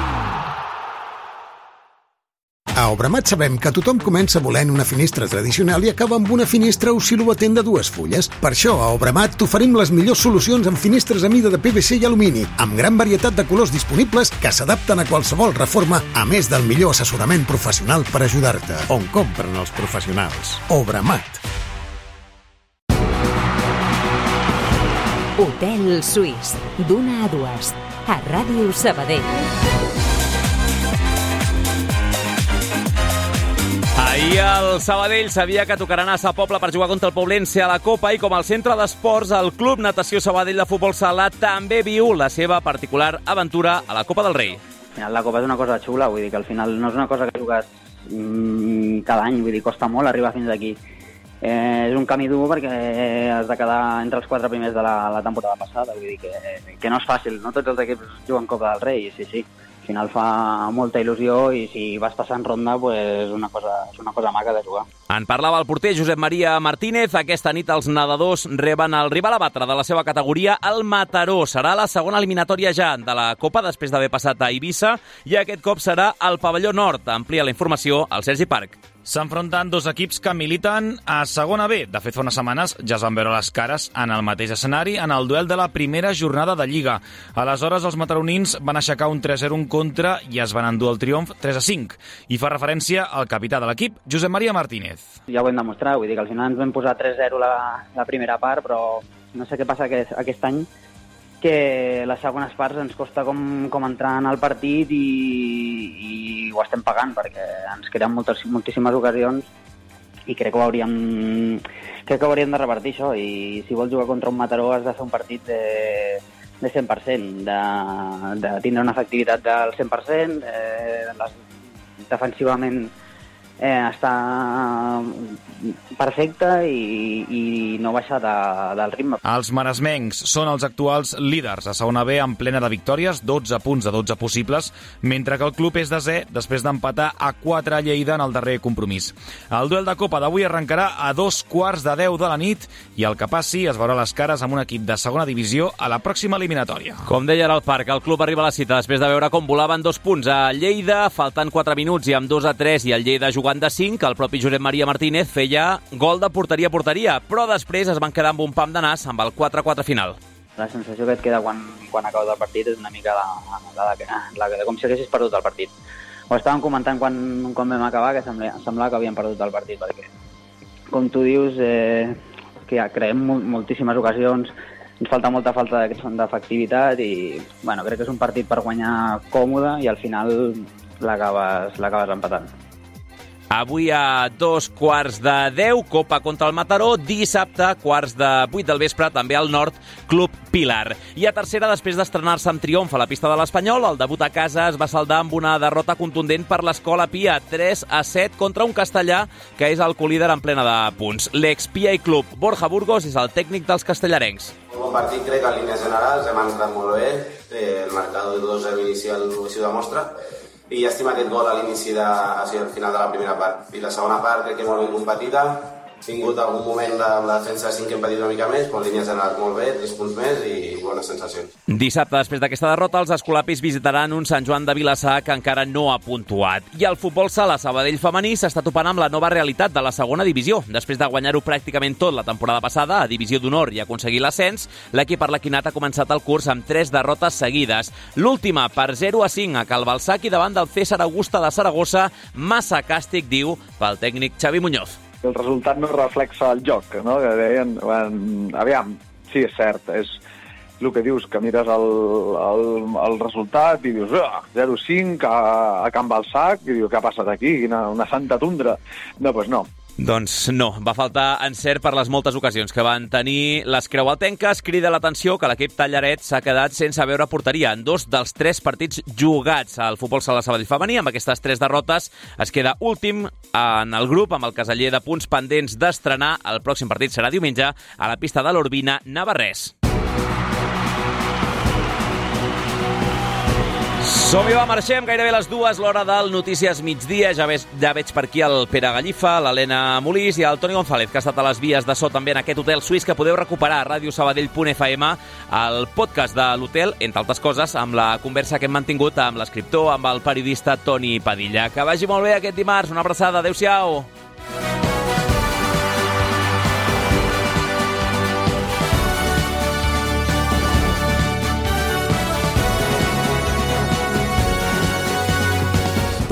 A Obramat sabem que tothom comença volent una finestra tradicional i acaba amb una finestra oscil·lobatent de 2 fulles. Per això, a Obramat t'oferim les millors solucions en finestres a mida de PVC i alumini, amb gran varietat de colors disponibles que s'adapten a qualsevol reforma, a més del millor assessorament professional per ajudar-te. On compren els professionals? Obramat. Hotel Suís, d'1 a 2, a Ràdio Sabadell. Ahir el Sabadell sabia que tocarà anar a Sa Pobla per jugar contra el Poblense a la Copa i com el centre d'esports, el Club Natació Sabadell de Futbol Sala també viu la seva particular aventura a la Copa del Rei. La Copa és una cosa xula, vull dir que al final no és una cosa que jugues cada any, vull dir, costa molt arribar fins aquí. És un camí dur perquè has de quedar entre els 4 primers de la temporada passada, vull dir que no és fàcil, no tots els equips juguen Copa del Rei, sí. Al final fa molta il·lusió i si vas passant ronda pues, és una cosa maca de jugar. En parlava el porter Josep Maria Martínez. Aquesta nit els nedadors reben el rival a batre de la seva categoria, el Mataró. Serà la segona eliminatòria ja de la Copa després d'haver passat a Eivissa i aquest cop serà al pavelló nord. Amplia la informació al Sergi Parc. S'enfronten 2 equips que militen a segona B. De fet, fa unes setmanes ja es van veure les cares en el mateix escenari en el duel de la primera jornada de Lliga. Aleshores, els mataronins van aixecar un 3-0 en contra i es van endur el triomf 3-5. I fa referència al capità de l'equip, Josep Maria Martínez. Ja ho hem demostrat, vull dir que al final ens vam posar 3-0 la primera part, però no sé què passa aquest any, que les segones parts ens costa com entrar en el partit i ho estem pagant perquè ens creen moltíssimes ocasions i crec que ho hauríem de revertir això i si vols jugar contra un Mataró has de fer un partit de 100%, de tindre una efectivitat del 100%, defensivament està perfecte i no baixa del ritme. Els maresmencs són els actuals líders a segona B en plena de victòries, 12 punts de 12 possibles, mentre que el club és desè després d'empatar a 4 a Lleida en el darrer compromís. El duel de Copa d'avui arrencarà a 2:15 de la nit i el que passi es veurà les cares amb un equip de segona divisió a la pròxima eliminatòria. Com deia al Parc, el club arriba a la cita després de veure com volaven 2 punts a Lleida, faltant 4 minuts i amb 2-3 i el Lleida jugant de 5, el propi Josep Maria Martínez feia gol de porteria a porteria, però després es van quedar amb un pam de nas amb el 4-4 final. La sensació que et queda quan acabes el partit és una mica la de com si haguessis perdut el partit. Ho estàvem comentant quan vam acabar, que semblava que havíem perdut el partit, perquè, com tu dius, que ja creem moltíssimes ocasions, ens falta molta falta d'efectivitat i crec que és un partit per guanyar còmode i al final l'acabes empatant. Avui a 2:15, Copa contra el Mataró, dissabte, 7:45 del vespre, també al Nord, Club Pilar. I a tercera, després d'estrenar-se amb triomf a la pista de l'Espanyol, el debut a casa es va saldar amb una derrota contundent per l'Escola Pia, 3-7 contra un castellà que és el colíder en plena de punts. L'ex-Pia i Club, Borja Burgos, és el tècnic dels castellarencs. Un bon partit, crec, en línies generals, hem entrat molt bé, el marcador de 2-0 inicial així ho demostra, i llàstima aquest gol a l'inici al final de la primera part. I la segona part crec que molt ben competida, tingut algun moment la defensa de 5 que hem patit una mica més, però en línies generals molt bé, 3 punts més i bones sensacions. Dissabte, després d'aquesta derrota, els escolapis visitaran un Sant Joan de Vilassar que encara no ha puntuat. I el futbol sala Sabadell femení s'està topant amb la nova realitat de la segona divisió. Després de guanyar-ho pràcticament tot la temporada passada a Divisió d'Honor i aconseguir l'ascens, l'equip arlequinat ha començat el curs amb 3 derrotes seguides. L'última per 0-5 a Calbalsac i davant del César Augusta de Saragossa, massa càstig, diu, pel tècnic Xavi Muñoz. El resultat no reflexa el joc, no? Que deien, aviam, sí, és cert, és el que dius, que mires el resultat i dius 0-5 a Can Balsac, i dius, què ha passat aquí? Una santa tundra. No, doncs no. Doncs no, va faltar encert per les moltes ocasions que van tenir les creualtenques. Crida l'atenció que l'equip Tallaret s'ha quedat sense veure porteria en 2 dels 3 partits jugats al futbol sala Sabadell femení. Amb aquestes 3 derrotes es queda últim en el grup amb el caseller de punts pendents d'estrenar. El pròxim partit serà diumenge a la pista de l'Urbina Navarrés. Som-hi, va, marxem, gairebé les 2, l'hora del Notícies Migdia. Ja veig per aquí el Pere Gallifa, l'Helena Molís i el Toni González, que ha estat a les vies de so també en aquest hotel suís, que podeu recuperar a radiosabadell.fm, el podcast de l'hotel, entre altres coses, amb la conversa que hem mantingut amb l'escriptor, amb el periodista Toni Padilla. Que vagi molt bé aquest dimarts, una abraçada, adéu-siau.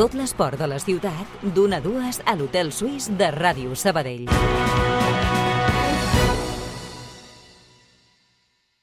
Tot l'esport de la ciutat, d'1 a 2 a l'Hotel Suís de Ràdio Sabadell.